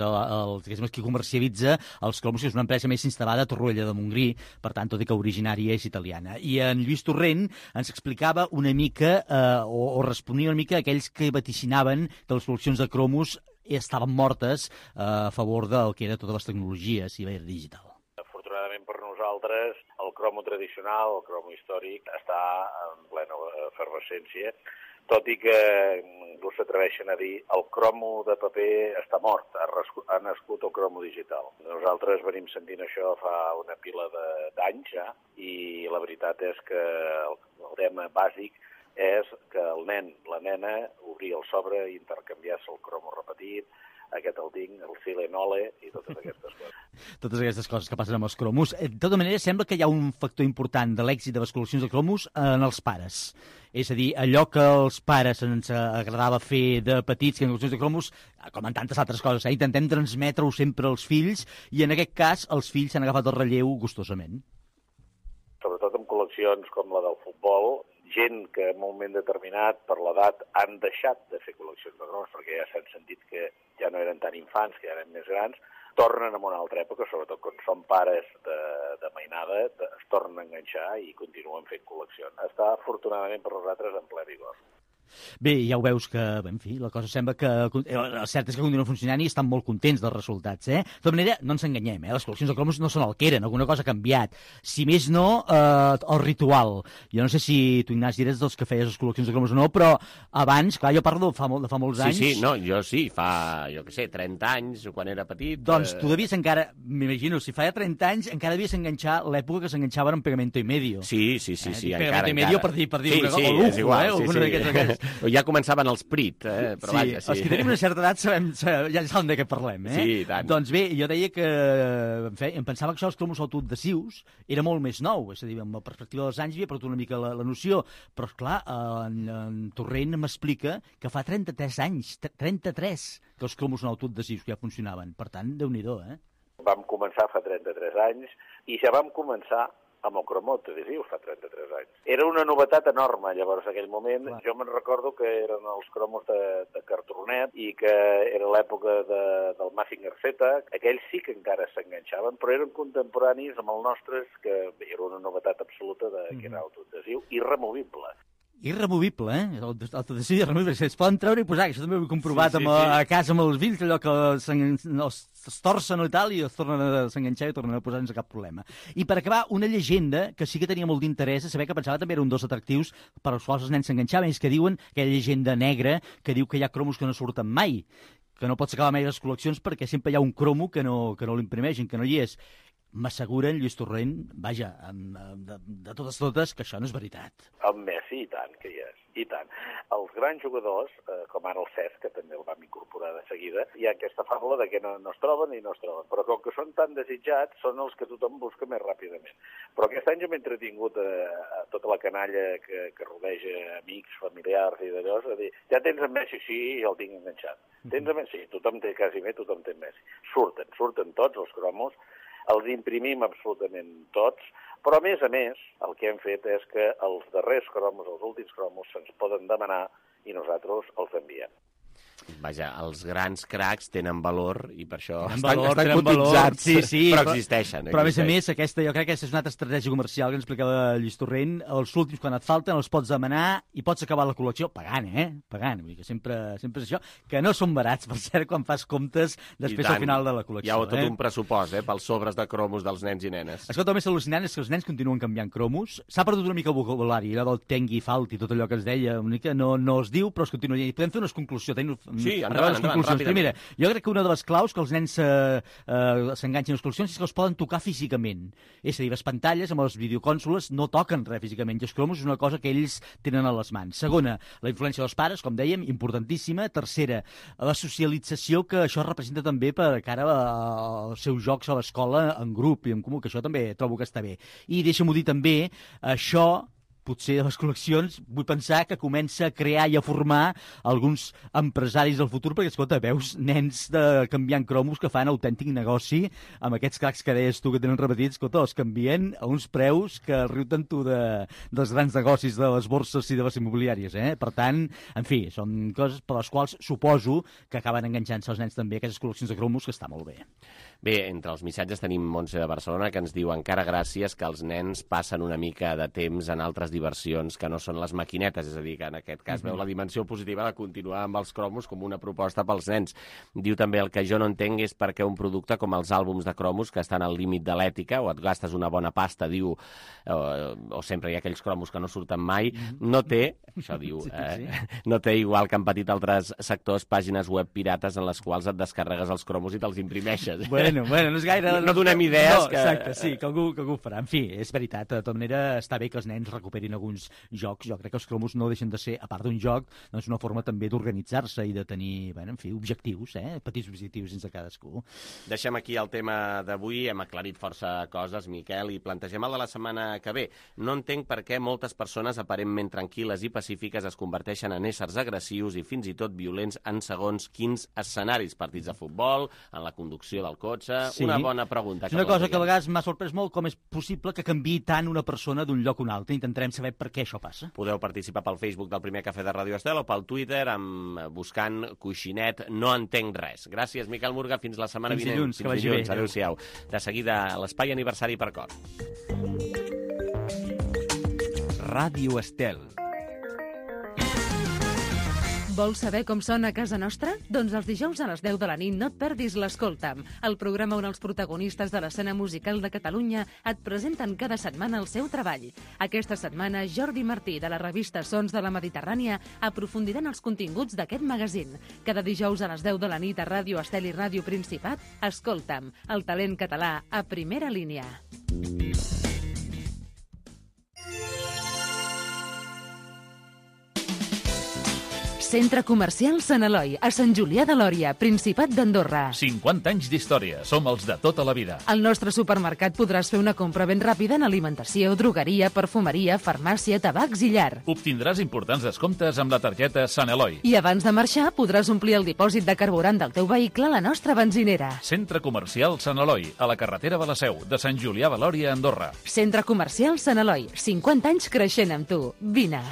qui comercialitza els cromos, que és una empresa més instal·lada a Torroella de Montgrí, per tant, tot i que originària és italiana. I en Lluís Torrent ens explicava una mica, o responia una mica a aquells que vaticinaven que les col·leccions de cromos estaven mortes a favor del que era totes les tecnologies i la era digital. Afortunadament per nosaltres, el cromo tradicional, el cromo històric, està en plena efervescència, tot i que no s'atreveixen a dir el cromo de paper està mort, ha nascut el cromo digital. Nosaltres venim sentint això fa una pila d'anys ja, i la veritat és que el tema bàsic és que el nen, la nena, obrir el sobre i intercanviar-se el cromo repetit, aquest el tinc, el Silenole i totes aquestes coses. Totes aquestes coses que passen amb els cromos. De tota manera, sembla que hi ha un factor important de l'èxit de les col·leccions de cromos en els pares. És a dir, allò que als pares ens agradava fer de petits, que en col·leccions de cromos, com en tantes altres coses, intentem transmetre-ho sempre als fills, i en aquest cas els fills s'han agafat el relleu gustosament. Sobretot en col·leccions com la del futbol, gent que en un moment determinat, per l'edat, han deixat de fer col·leccions de cromos, perquè ja s'han sentit que ja no eren tan infants, que ja eren més grans, tornen a una altra època, sobretot quan són pares de mainada, es tornen a enganxar i continuen fent col·leccions. Està, afortunadament, per nosaltres en ple vigor. Bé, ja ho veus que, en fi, la cosa sembla que... El cert és que continuen funcionant i estan molt contents dels resultats, De tota manera, no ens enganyem, les col·leccions de cromos no són el que eren, alguna cosa ha canviat. Si més no, el ritual. Jo no sé si tu, Ignasi, eres dels que feies les col·leccions de cromos o no, però abans, clar, jo parlo de fa molts anys... Sí, no, jo sí, fa, jo què sé, 30 anys, quan era petit... Doncs tu devies encara, m'imagino, si fa 30 anys, encara devies enganxar l'època que s'enganxaven en Pegamento i Medio. Sí, Pegamento i Medio, per dir una cosa, o lujo, alguna d'aquests. Ja començaven els Prit, però vaja, sí. Els que tenim una certa edat ja saben de què parlem, Sí, i tant. Doncs bé, jo deia que em pensava que això dels cromos autoadhesius era molt més nou, és a dir, amb la perspectiva dels anys havia perdut una mica la noció, però esclar, en Torrent m'explica que fa 33 anys, 33, que els cromos són autoadhesius que ja funcionaven. Per tant, Déu-n'hi-do, Vam començar fa 33 anys i ja vam començar amb el cromo adhesiu fa 33 anys. Era una novetat enorme, llavors, en aquell moment. Clar. Jo me'n recordo que eren els cromos de cartronet i que era l'època del Mazinger Z. Aquells sí que encara s'enganxaven, però eren contemporanis amb els nostres, que era una novetat absoluta que era autoadhesiu i removible. Irremovible, Autoadhesiu irremovible. Es poden treure i posar, això també ho he comprovat a casa amb els fills, allò que es torcen i tal, i es tornen a s'enganxar i tornen a posar sense cap problema. I per acabar, una llegenda que sí que tenia molt d'interès, a saber que pensava també era un dels atractius per als quals els nens s'enganxaven, és que diuen, aquella llegenda negra, que diu que hi ha cromos que no surten mai, que no pots acabar mai les col·leccions perquè sempre hi ha un cromo que no l'imprimeixen, que no hi és. M'asseguren, Lluís Torrent, vaja, de totes, que això no és veritat. El Messi, i tant que hi és, i tant. Els grans jugadors, com ara el Cesc, que també el vam incorporar de seguida, hi ha aquesta fàbula de que no es troben i no es troben, però com que són tan desitjats, són els que tothom busca més ràpidament. Però aquest any jo m'he entretingut a tota la canalla que rodeja amics, familiars i d'allò, és a dir, ja tens en Messi? Sí, ja el tinc enganxat. Tens en Messi? Sí, tothom té quasi bé, tothom té Messi. Surten tots els cromos, els imprimim absolutament tots, però a més, el que hem fet és que els darrers cromos, els últims cromos, se'ns poden demanar i nosaltres els enviem. Vaja, els grans cracs tenen valor i per això estan cotitzats, sí, però existeixen. Però a més, aquesta, jo crec que aquesta és una altra estratègia comercial que ens explicava Lluís Torrent. Els últims, quan et falten, els pots demanar i pots acabar la col·lecció pagant, Pagant, vull dir que sempre és això. Que no són barats, per cert, quan fas comptes després al final de la col·lecció. Hi ha tot un pressupost, pels sobres de cromos dels nens i nenes. Escolta, el més al·lucinant és que els nens continuen canviant cromos. S'ha perdut una mica el vocabulari, allò del tengui, falti, tot allò que es deia, una mica no es diu, però es continua. I podem fer unes conclusions. Sí, endavant, Primera, jo crec que una de les claus que els nens s'enganxin a les col·leccions és que els poden tocar físicament. És a dir, les pantalles amb les videocònsoles no toquen res físicament, i els cromos és una cosa que ells tenen a les mans. Segona, la influència dels pares, com dèiem, importantíssima. Tercera, la socialització que això representa també per cara als seus jocs a l'escola en grup i en comú, que això també trobo que està bé. I deixa'm-ho dir també, això potser a les col·leccions, vull pensar que comença a crear i a formar alguns empresaris del futur, perquè, escolta, veus nens canviant cromos que fan autèntic negoci amb aquests cracs que deies tu que tenen repetits, escolta, els canvien a uns preus que riuten tu dels grans negocis de les borses i de les immobiliàries, Per tant, en fi, són coses per les quals suposo que acaben enganxant-se els nens també a aquestes col·leccions de cromos, que està molt bé. Bé, entre els missatges tenim Montse de Barcelona, que ens diu encara gràcies que els nens passen una mica de temps en altres diversions que no són les maquinetes, és a dir, que en aquest cas veu la dimensió positiva de continuar amb els cromos com una proposta pels nens. Diu també, el que jo no entenc és per què un producte com els àlbums de cromos, que estan al límit de l'ètica, o et gastes una bona pasta, diu, o sempre hi ha aquells cromos que no surten mai, no té, això diu, no té, igual que han patit altres sectors, pàgines web pirates en les quals et descarregues els cromos i te'ls imprimeixes. Bueno, no és gaire... No donem idees. No, exacte, sí, que algú ho farà. En fi, és veritat, de tota manera està bé que els nens recuperin alguns jocs. Jo crec que els cromos no deixen de ser, a part d'un joc, doncs una forma també d'organitzar-se i de tenir, bueno, en fi, objectius, petits objectius sense cadascú. Deixem aquí el tema d'avui, hem aclarit força coses, Miquel, i plantegem el de la setmana que ve. No entenc per què moltes persones aparentment tranquil·les i pacífiques es converteixen en éssers agressius i fins i tot violents en segons quins escenaris, partits de futbol, en la conducció del cotxe... Sí. Una bona pregunta. És una cosa que a vegades m'ha sorprès molt, com és possible que canviï tant una persona d'un lloc a un altre. Intentarem saber per què això passa. Podeu participar pel Facebook del Primer Cafè de Ràdio Estel o pel Twitter buscant Coixinet No Entenc Res. Gràcies, Miquel Murga. Fins la setmana vinent. Fins dilluns. Adéu-siau. De seguida, l'espai aniversari per cor. Ràdio Estel. Vols saber com sona a casa nostra? Doncs els dijous a les 10 de la nit no et perdis l'Escolta'm, el programa on els protagonistes de l'escena musical de Catalunya et presenten cada setmana el seu treball. Aquesta setmana, Jordi Martí, de la revista Sons de la Mediterrània, aprofundirà en els continguts d'aquest magazín. Cada dijous a les 10 de la nit a Ràdio Estel i Ràdio Principat, Escolta'm, el talent català a primera línia. Centre Comercial Sant Eloi, a Sant Julià de Lòria, Principat d'Andorra. 50 anys d'història, som els de tota la vida. Al nostre supermercat podràs fer una compra ben ràpida en alimentació, drogueria, perfumeria, farmàcia, tabacs i llar. Obtindràs importants descomptes amb la targeta Sant Eloi. I abans de marxar podràs omplir el dipòsit de carburant del teu vehicle a la nostra benzinera. Centre Comercial Sant Eloi, a la carretera de la Seu, de Sant Julià de Lòria, Andorra. Centre Comercial Sant Eloi, 50 anys creixent amb tu. Vine!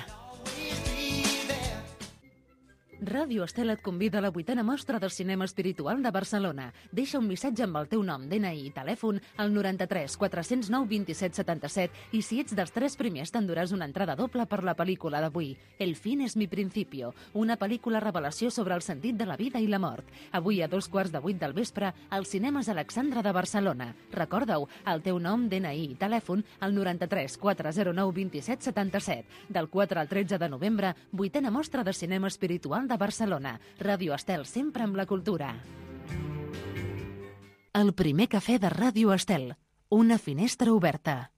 Ràdio Estel et convida a la 8a mostra del cinema espiritual de Barcelona. Deixa un missatge amb el teu nom, DNI i telèfon al 93 409 27 77 i si ets dels 3 primers t'enduràs una entrada doble per la pel·lícula d'avui. El fin es mi principio, una pel·lícula revelació sobre el sentit de la vida i la mort. Avui a 7:45 del vespre als cinemes Alexandra de Barcelona. Recorda-ho, el teu nom, DNI i telèfon al 93 409 27 77. Del 4 al 13 de novembre, 8a mostra de cinema espiritual de Barcelona. Ràdio Estel, sempre amb la cultura. El primer cafè de Ràdio Estel. Una finestra oberta.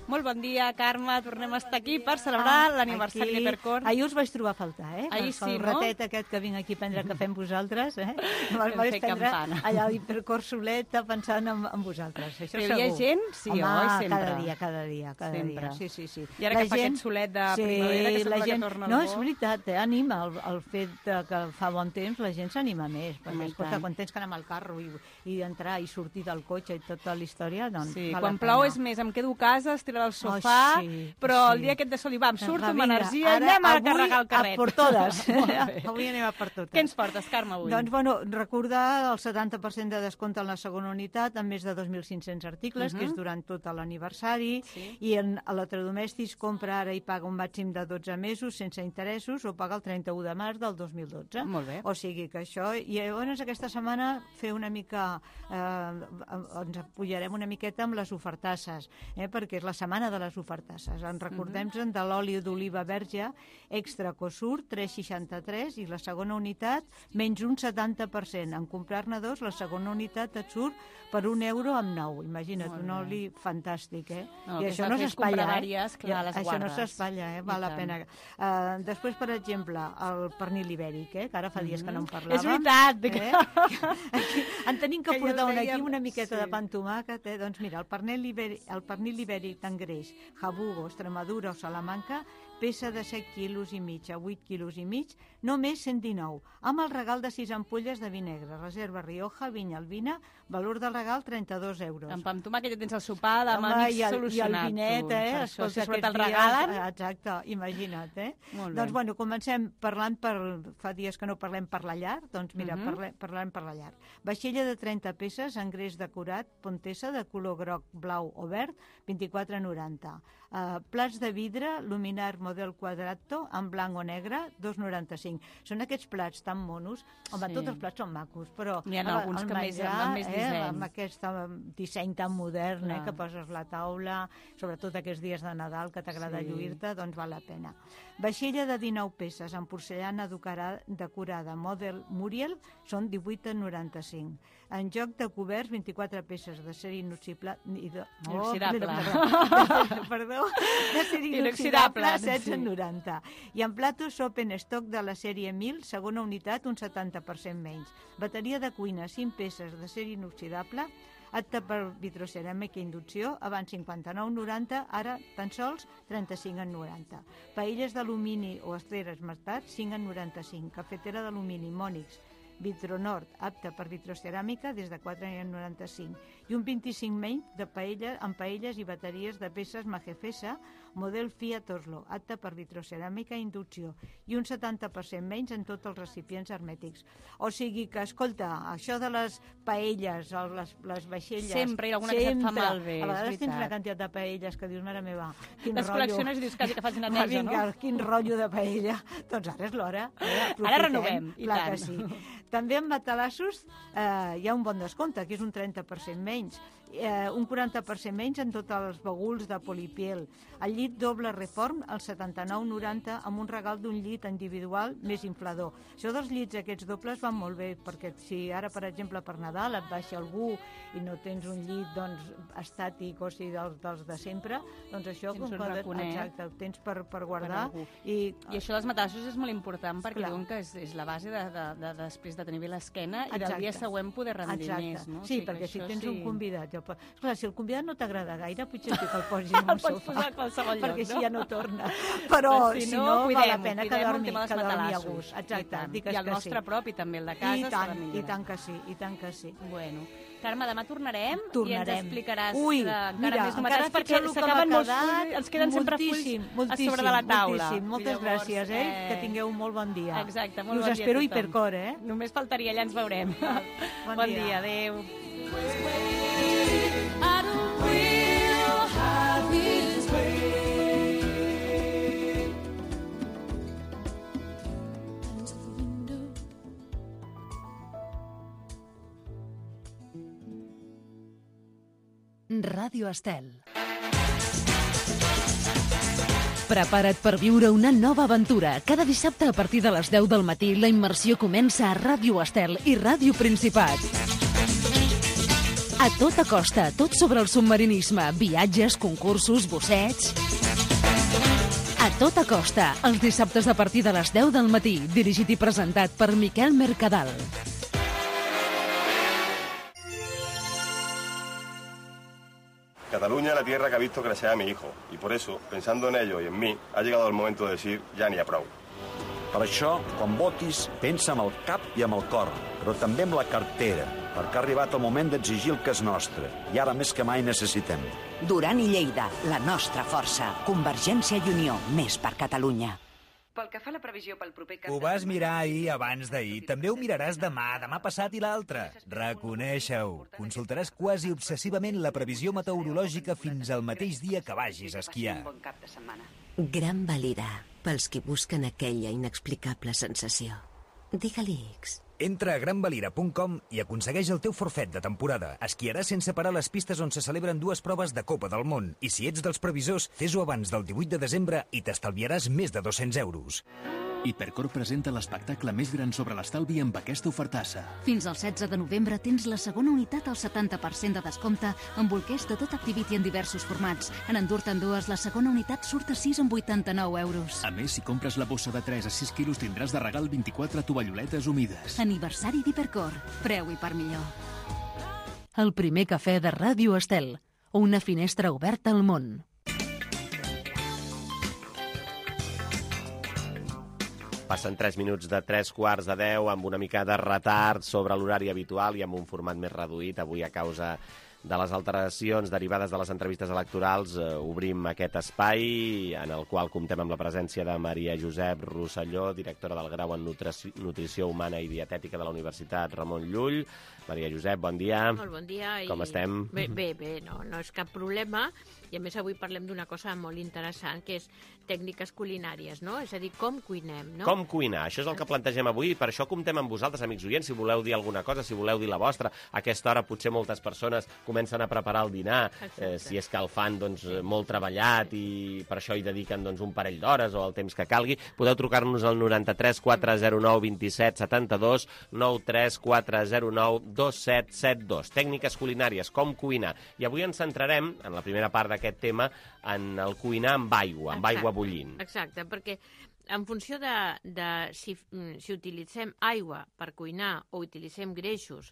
Molt bon dia, Carme. Tornem a estar aquí per celebrar l'aniversari de Percor. Ahir us vaig trobar a faltar, Ahir sí, el ratet aquest que vinc aquí a prendre cafè amb vosaltres, Vaig fer prendre campana. allà a l'Hipercor soleta pensant en vosaltres. Això Però segur. hi ha gent? Sí, home, sempre. cada dia. Sempre. Sí. I ara que fa aquest solet de primavera, que sembla que torna el No, bo. és veritat, anima el fet que fa bon temps, la gent s'anima més. Perquè, escolta, quan tens que anar amb el carro i entrar i sortir del cotxe i tota la història, doncs Sí, val quan la plou pena. és més, em quedo a casa, estiro al sofà, però el dia aquest de sol i va, em surto amb energia, Ara, anem a avui, carregar el carret. a por totes. Molt bé. Avui anem a per totes. Què ens portes, Carme, avui? Doncs, bueno, recordar el 70% de descompte en la segona unitat, amb més de 2.500 articles, que és durant tot l'aniversari, i en electrodomèstics compra ara i paga un màxim de 12 mesos sense interessos o paga el 31 de març del 2012. Molt bé. O sigui que això... I llavors aquesta setmana fer una mica... ens apoyarem una miqueta amb les ofertasses, perquè és la setmana de les ofertasses. En recordem-se'n de l'oli d'oliva verge extra Cosur, 3,63, i la segona unitat menys un 70%. En comprar-ne dos, la segona unitat et surt per €1 amb 9. Imagina't, un oli fantàstic, No, I que això s'ha no fet s'espatlla, comprar vàries, clar, les Això no guardes. s'espatlla, val la tant. pena. Després, per exemple, el pernil ibèric, que ara fa dies que no en parlàvem. És veritat. En tenim que Que jo portar el aquí dèiem, una miqueta sí. de pa amb tomàquet, Doncs mira, el pernil ibèric greix. Jabugo, Extremadura o Salamanca, peça de 7 quilos i mig a 8 quilos i mig, només 119, amb el regal de 6 ampolles de vi negre. Reserva Rioja, Vinya Albina, valor del regal 32 euros. Amb pa amb tomàquet ja tens el sopar de amics solucionat. I el vinet, Això, si sobretot el regalen. Exacte, imagina't, Molt bé. Doncs, bueno, comencem parlant fa dies que no parlem per la llar, doncs mira, parlem per la llar. Vaixella de 30 peces, en greix decorat, Pontesa, de color groc, blau o verd, 24,90. Plats de vidre, luminar model quadrato, en blanc o negre, 2,95. Són aquests plats tan monos. Home, tots els plats són macos, però n'hi ha alguns que més disseny. Amb aquest disseny tan modern, que poses la taula, sobretot aquests dies de Nadal que t'agrada lluir-te, doncs val la pena. Vaixella de 19 peces, en porcellana decorada, model Muriel, són 18,95. En joc de coberts, 24 peces de ser inoxidable. Perdó, de ser inoxidable, 16,90. I en platos open stock de la sèrie 1000, segona unitat, un 70% menys. Bateria de cuina, 5 peces de ser inoxidable, apte per vitroceràmica i inducció, abans 59,90, ara tan sols 35,90. Paelles d'alumini o estreres esmaltats, 5,95. Cafetera d'alumini Mònix, Vitronord, apte per vitroceràmica, des de 4,95. I un 25 menys amb paelles i bateries de peces Majefesa, model Fiat Oslo, apte per vitroceràmica i inducció. I un 70% menys en tots els recipients hermètics. O sigui que, escolta, això de les paelles o les vaixelles... Sempre hi ha alguna que se't fa malbé. A vegades tens una quantitat de paelles que dius, mare meva, quin les rotllo. Les col·lecciones i dius quasi que fas neteja, no? Vinga, quin rotllo de paella. Doncs ara és l'hora. Ara renovem, i tant. Que sí. També en matalassos hi ha un bon descompte, que és un 30% menys. Un 40% menys en tots els baguls de polipiel. El llit doble reform, el 79,90, amb un regal d'un llit individual més inflador. Això dels llits aquests dobles van molt bé, perquè si ara, per exemple, per Nadal et baixa algú i no tens un llit estàtic, o sigui, dels de sempre, doncs això ho tens per guardar. I això dels matalassos és molt important, perquè diuen que és la base de després de tenir bé l'esquena i del dia següent poder rendir més. Sí, perquè si tens un convidat... Clar, si el convidat no t'agrada gaire, potser que el posis en un sofà, perquè així ja no torna. Però si no, val la pena que dormi a gust. Exacte, digues que sí. I el nostre propi, també, el de casa, s'ha de millorar. I tant que sí. Bueno, Carme, demà tornarem i ens explicaràs encara més novetats, perquè s'acaben molts fulls, ens queden sempre fulls a sobre de la taula. Moltes gràcies, que tingueu un molt bon dia. Exacte, molt bon us dia a espero tothom. hipercor, Només faltaria, allà ens veurem. Bon dia, adéu. Ràdio Estel. Prepara't per viure una nova aventura. Cada dissabte a partir de les 10 del matí la immersió comença a Ràdio Estel i Ràdio Principat. A tota costa, tot sobre el submarinisme, viatges, concursos, bossets... A tota costa, els dissabtes a partir de les 10 del matí, dirigit i presentat per Miquel Mercadal. Cataluña es la tierra que ha visto crecer a mi hijo, y por eso, pensando en ello y en mí, ha llegado el momento de decir ja n'hi ha prou. Per això, quan votis, pensa amb el cap i amb el cor, però també amb la cartera, perquè ha arribat el moment d'exigir el que és nostre, i ara més que mai necessitem. Duran i Lleida, la nostra força. Convergència i Unió, més per Catalunya. Pel que fa a la previsió pel proper cap... Ho vas mirar ahir abans d'ahir. També ho miraràs demà passat i l'altre. Reconeixa-ho. Consultaràs quasi obsessivament la previsió meteorològica fins al mateix dia que vagis a esquiar. Gran Valira, pels qui busquen aquella inexplicable sensació. Digue-li X. Entra a granvalira.com i aconsegueix el teu forfet de temporada. Esquiaràs sense parar les pistes on se celebren 2 proves de Copa del Món. I si ets dels previsors, fes-ho abans del 18 de desembre i t'estalviaràs més de 200 euros. Hipercor presenta l'espectacle més gran sobre l'estalvi amb aquesta ofertassa. Fins al 16 de novembre tens la segona unitat al 70% de descompte amb bolquers de tot Activity en diversos formats. En endur-te'n dues, la segona unitat surt a 6 amb 89 euros. A més, si compres la bossa de 3 a 6 quilos tindràs de regal 24 tovalloletes humides. Aniversari d'Hipercor. Preu i per millor. El primer cafè de Ràdio Estel. Una finestra oberta al món. Passen 3 minuts de 3:15 amb una mica de retard sobre l'horari habitual i amb un format més reduït. Avui, a causa de les alteracions derivades de les entrevistes electorals, obrim aquest espai en el qual comptem amb la presència de Maria Josep Rosselló, directora del grau en Nutrició Humana i Dietètica de la Universitat Ramon Llull. Maria Josep, bon dia. Molt bon dia. Com estem? Bé, no és cap problema. I a més avui parlem d'una cosa molt interessant, que és tècniques culinàries, no? És a dir, com cuinem, no? Com cuinar, això és el que plantegem avui, i per això comptem amb vosaltres, amics oients, si voleu dir alguna cosa, si voleu dir la vostra. A aquesta hora potser moltes persones comencen a preparar el dinar, si és que el fan molt treballat i per això hi dediquen un parell d'hores o el temps que calgui. Podeu trucar-nos al 93 409 27 72, 93 409 2772. Tècniques culinàries, com cuinar. I avui ens centrarem, en la primera part d'aquest tema, en el cuinar amb aigua, amb aigua bullint. Exacte, perquè en funció de si utilitzem aigua per cuinar o utilitzem greixos,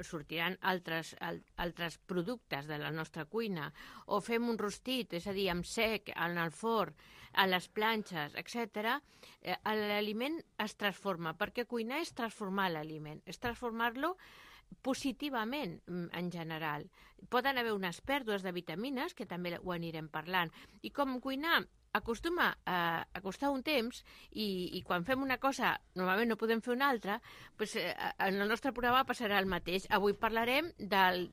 sortiran altres productes de la nostra cuina, o fem un rostit, és a dir, amb sec, en el forn, a les planxes, etc., l'aliment es transforma, perquè cuinar és transformar l'aliment, és transformar-lo positivament, en general. Poden haver unes pèrdues de vitamines, que també ho anirem parlant, i com cuinar acostuma a costar un temps i quan fem una cosa normalment no podem fer una altra, doncs en el nostre programa passarà el mateix. Avui parlarem del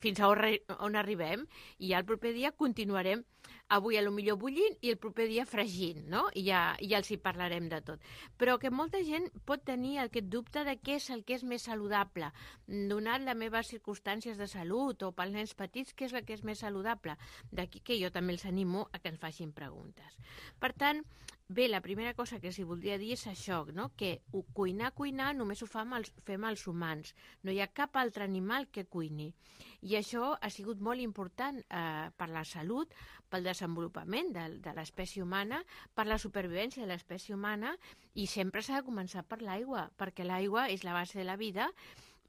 fins a on arribem i ja el proper dia continuarem avui potser bullint i el proper dia fregint, no? I ja els hi parlarem de tot. Però que molta gent pot tenir aquest dubte de què és el que és més saludable. Donat les meves circumstàncies de salut o pels nens petits, què és el que és més saludable? D'aquí que jo també els animo a que ens facin preguntes. Per tant, bé, la primera cosa que els voldria dir és això, no? Que cuinar només ho fem els humans. No hi ha cap altre animal que cuini. I això ha sigut molt important per la salut, pel desenvolupament de l'espècie humana, per la supervivència de l'espècie humana, i sempre s'ha de començar per l'aigua, perquè l'aigua és la base de la vida,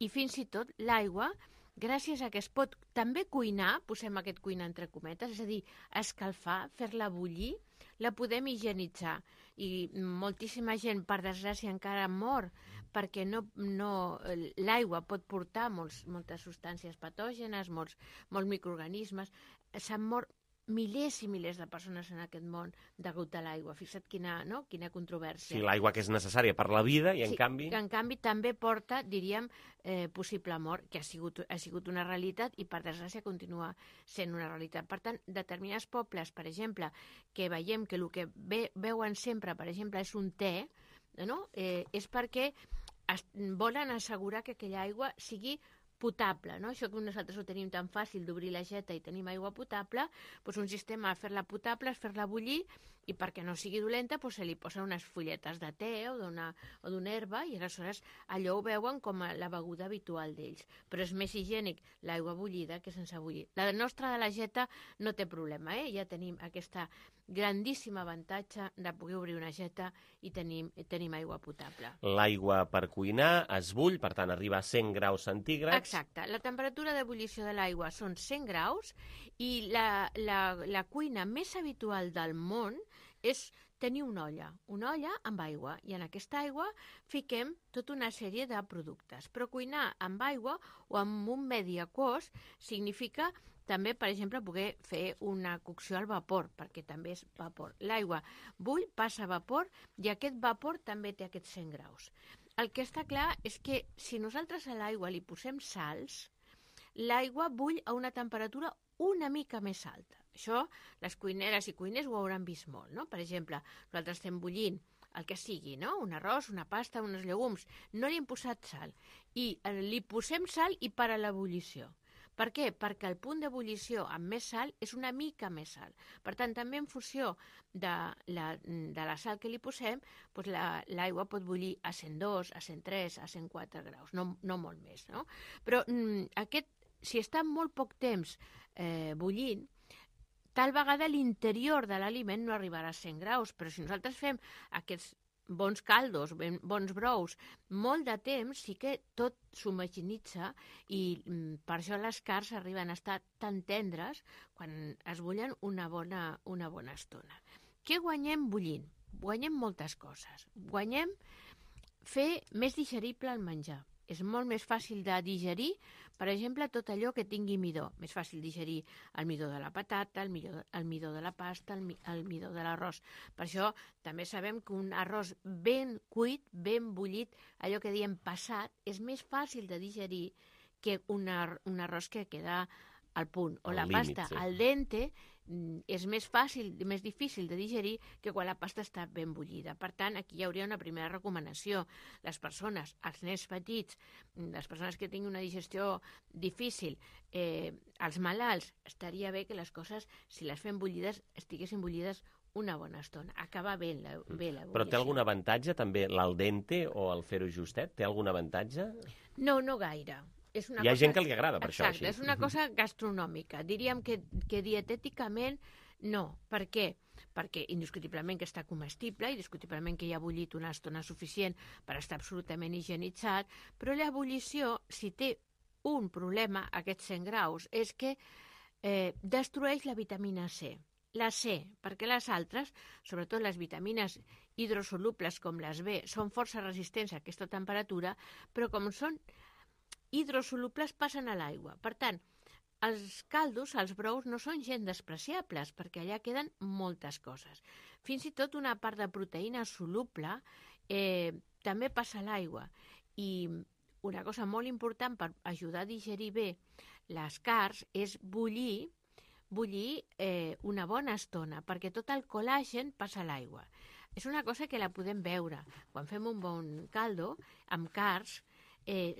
i fins i tot l'aigua, gràcies a que es pot també cuinar, posem aquest cuinar entre cometes, és a dir, escalfar, fer-la bullir, la podem higienitzar. I moltíssima gent, per desgràcia, encara mor perquè l'aigua pot portar moltes substàncies patògenes, molts microorganismes. S'han mort milers i milers de persones en aquest món degut a l'aigua. Fixa't quina controvèrsia. Sí, l'aigua que és necessària per la vida i en canvi... que en canvi també porta, diríem, possible mort, que ha sigut una realitat i per desgràcia continua sent una realitat. Per tant, determinats pobles, per exemple, que veiem que el que beuen sempre, per exemple, és un te, no? És perquè volen assegurar que aquella aigua sigui potable, no? Això que nosaltres ho tenim tan fàcil d'obrir la geta i tenim aigua potable, doncs un sistema de fer-la potable és fer-la bullir i perquè no sigui dolenta se li posen unes fulletes de te o d'una herba i aleshores allò ho veuen com la beguda habitual d'ells. Però és més higiènic l'aigua bullida que sense bullir. La nostra de la geta no té problema, ja tenim aquesta grandíssim avantatge de poder obrir una geta i tenim aigua potable. L'aigua per cuinar es bull, per tant arriba a 100 graus centígrads. Exacte. La temperatura d'ebullició de l'aigua són 100 graus i la cuina més habitual del món és tenir una olla amb aigua, i en aquesta aigua fiquem tota una sèrie de productes. Però cuinar amb aigua o amb un medi aquós significa també, per exemple, poder fer una cocció al vapor, perquè també és vapor. L'aigua bull, passa a vapor, i aquest vapor també té aquests 100 graus. El que està clar és que si nosaltres a l'aigua li posem sals, l'aigua bull a una temperatura una mica més alta. Això les cuineres i cuiners ho hauran vist molt, no? Per exemple, nosaltres estem bullint el que sigui, no? Un arròs, una pasta, uns llegums. No li hem posat sal. I li posem sal i para l'ebullició. Per què? Perquè el punt d'ebullició amb més sal és una mica més sal. Per tant, també en funció de la sal que li posem, doncs l'aigua pot bullir a 102, a 103, a 104 graus, no molt més, no? Però si està molt poc temps bullint, tal vegada l'interior de l'aliment no arribarà a 100 graus, però si nosaltres fem aquests bons caldos, bons brous, molt de temps sí que tot s'homogenitza i per això les carns arriben a estar tan tendres quan es bullen una bona estona. Què guanyem bullint? guanyem moltes coses. Guanyem fer més digerible el menjar. És molt més fàcil de digerir, per exemple, tot allò que tingui midó. Més fàcil digerir el midó de la patata, el midó de la pasta, el midó de l'arròs. Per això també sabem que un arròs ben cuit, ben bullit, allò que diem passat, és més fàcil de digerir que un arròs que queda al punt. O la pasta al dente és més fàcil, més difícil de digerir que quan la pasta està ben bullida. Per tant, aquí hi hauria una primera recomanació. Les persones, els nens petits, les persones que tinguin una digestió difícil, els malalts, estaria bé que les coses, si les fem bullides, estiguessin bullides una bona estona. Acaba bé la bullició. Però té algun avantatge també l'al dente o el fer-ho justet? Té algun avantatge? No, no gaire. Hi ha gent que li agrada per això. Exacte, és una cosa gastronòmica. Diríem que dietèticament no. Per què? Perquè indiscutiblement que està comestible, indiscutiblement que hi ha bullit una estona suficient per estar absolutament higienitzat, però l'ebullició, si té un problema, aquests 100 graus, és que destrueix la vitamina C. La C, perquè les altres, sobretot les vitamines hidrosolubles com les B, són força resistents a aquesta temperatura, però com són hidrosolubles passen a l'aigua. Per tant, els caldos, els brous, no són gens despreciables, perquè allà queden moltes coses. Fins i tot una part de proteïna soluble també passa a l'aigua. I una cosa molt important per ajudar a digerir bé les carns és bullir una bona estona, perquè tot el col·làgen passa a l'aigua. És una cosa que la podem veure. Quan fem un bon caldo amb carns,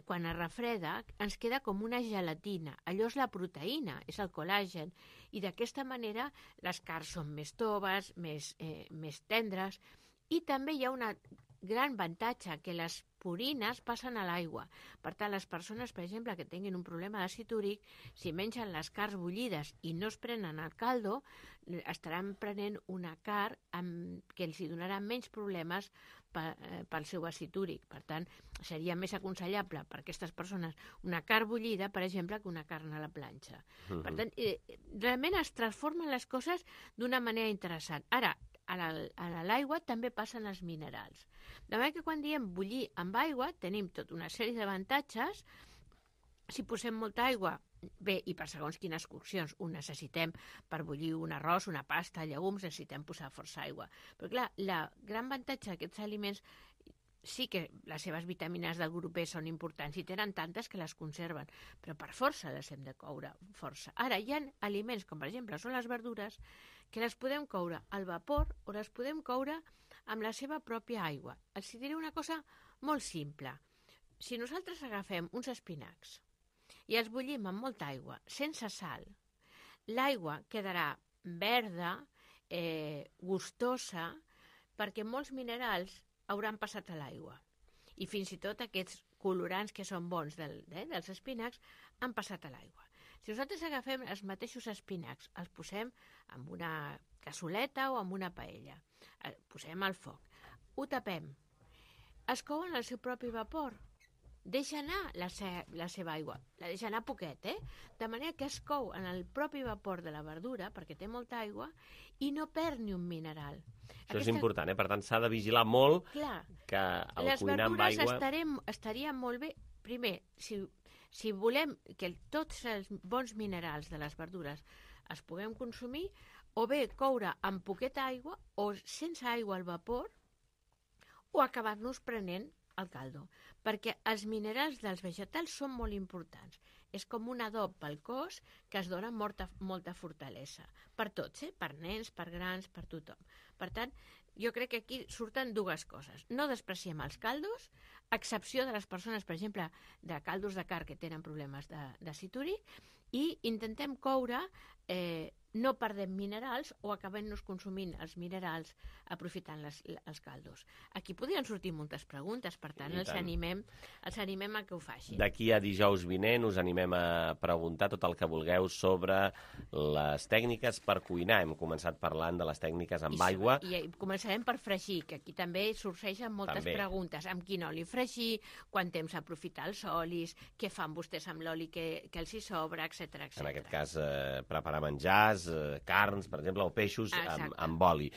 quan es refreda, ens queda com una gelatina. Allò és la proteïna, és el col·làgen, i d'aquesta manera les carns són més toves, més tendres, i també hi ha un gran avantatge, que les purines passen a l'aigua. Per tant, les persones, per exemple, que tinguin un problema d'àcid úric, si mengen les carns bullides i no es prenen el caldo, estaran prenent una carn que els donarà menys problemes pel seu àcid úric. Per tant, seria més aconsellable per a aquestes persones una carn bullida, per exemple, que una carn a la planxa. Per tant, realment es transformen les coses d'una manera interessant. Ara, a l'aigua també passen els minerals. De manera que quan diem bullir amb aigua tenim tota una sèrie d'avantatges. Si posem molta aigua, bé, i per segons quines coccions ho necessitem per bullir un arròs, una pasta, llegums, necessitem posar força aigua. Però clar, el gran avantatge d'aquests aliments, sí que les seves vitamines del grup B són importants i tenen tantes que les conserven, però per força les hem de coure força. Ara, hi ha aliments, com per exemple són les verdures, que les podem coure al vapor o les podem coure amb la seva pròpia aigua. Els diré una cosa molt simple. Si nosaltres agafem uns espinacs i els bullim amb molta aigua, sense sal, l'aigua quedarà verda, gustosa, perquè molts minerals hauran passat a l'aigua. I fins i tot aquests colorants que són bons dels espinacs han passat a l'aigua. Si nosaltres agafem els mateixos espinacs, els posem en una cassoleta o en una paella, posem al foc, ho tapem, es couen al seu propi vapor, deixa anar la seva aigua, la deixa anar poquet, de manera que es cou en el propi vapor de la verdura, perquè té molta aigua, i no perd ni un mineral. Això és important, per tant s'ha de vigilar molt que el cuinar amb aigua... Les verdures estarien molt bé, primer, si volem que tots els bons minerals de les verdures es puguem consumir, o bé coure amb poqueta aigua, o sense aigua al vapor, o acabar-nos prenent el caldo, perquè els minerals dels vegetals són molt importants. És com un adob pel cos que es dona molta fortalesa. Per tots, per nens, per grans, per tothom. Per tant, jo crec que aquí surten dues coses. No despreciem els caldos, a excepció de les persones, per exemple, de caldos de carn que tenen problemes d'àcid úric, i intentem coure, no perdem minerals o acabem-nos consumint els minerals aprofitant els caldos. Aquí podrien sortir moltes preguntes, per tant, els animem a que ho facin. D'aquí a dijous vinent us animem a preguntar tot el que vulgueu sobre les tècniques per cuinar. Hem començat parlant de les tècniques amb aigua. I començarem per fregir, que aquí també sorgeixen moltes preguntes. Amb quin oli fregir, quant temps aprofitar els olis, què fan vostès amb l'oli que els hi sobra, etc. En aquest cas, preparar menjars, carns, per exemple, o peixos amb oli.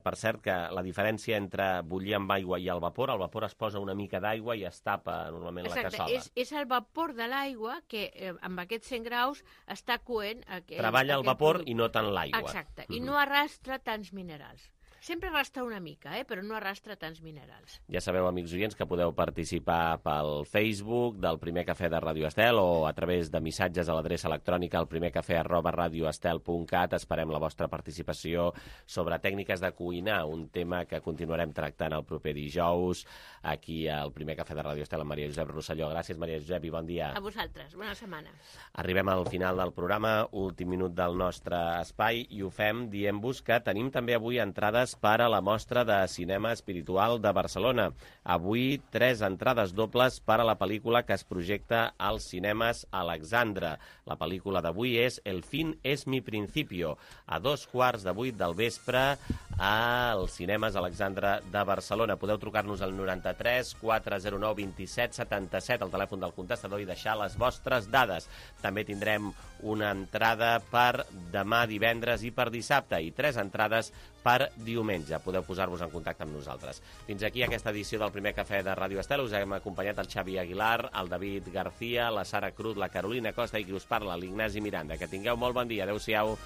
Per cert, que la diferència entre bullir amb aigua i el vapor es posa una mica d'aigua i es tapa normalment la cassola. És el vapor de l'aigua que amb aquests 100 graus està coent... Treballa el vapor i no tant l'aigua. Exacte, i no arrastra tants minerals. Sempre arrastra una mica, però no arrastra tants minerals. Ja sabeu, amics oients, que podeu participar pel Facebook del Primer Cafè de Ràdio Estel o a través de missatges a l'adreça electrònica alprimercafè@radioestel.cat. Esperem la vostra participació sobre tècniques de cuinar, un tema que continuarem tractant el proper dijous aquí al Primer Cafè de Ràdio Estel amb Maria Josep Rosselló. Gràcies, Maria Josep, i bon dia. A vosaltres, bona setmana. Arribem al final del programa, últim minut del nostre espai, i ho fem dient-vos que tenim també avui entrades per a la mostra de cinema espiritual de Barcelona. Avui 3 entrades dobles per a la pel·lícula que es projecta als cinemes Alexandra. La pel·lícula d'avui és El fin es mi principio, a 7:15 del vespre als cinemes Alexandra de Barcelona. Podeu trucar-nos al 93 409 27 77, al telèfon del contestador, i deixar les vostres dades. També tindrem una entrada per demà divendres i per dissabte, i 3 entrades per diumenge. Podeu posar-vos en contacte amb nosaltres. Fins aquí aquesta edició del Primer Cafè de Ràdio Estel. Us hem acompanyat el Xavi Aguilar, el David García, la Sara Cruz, la Carolina Costa i qui us parla, l'Ignasi Miranda. Que tingueu molt bon dia. Adéu-siau.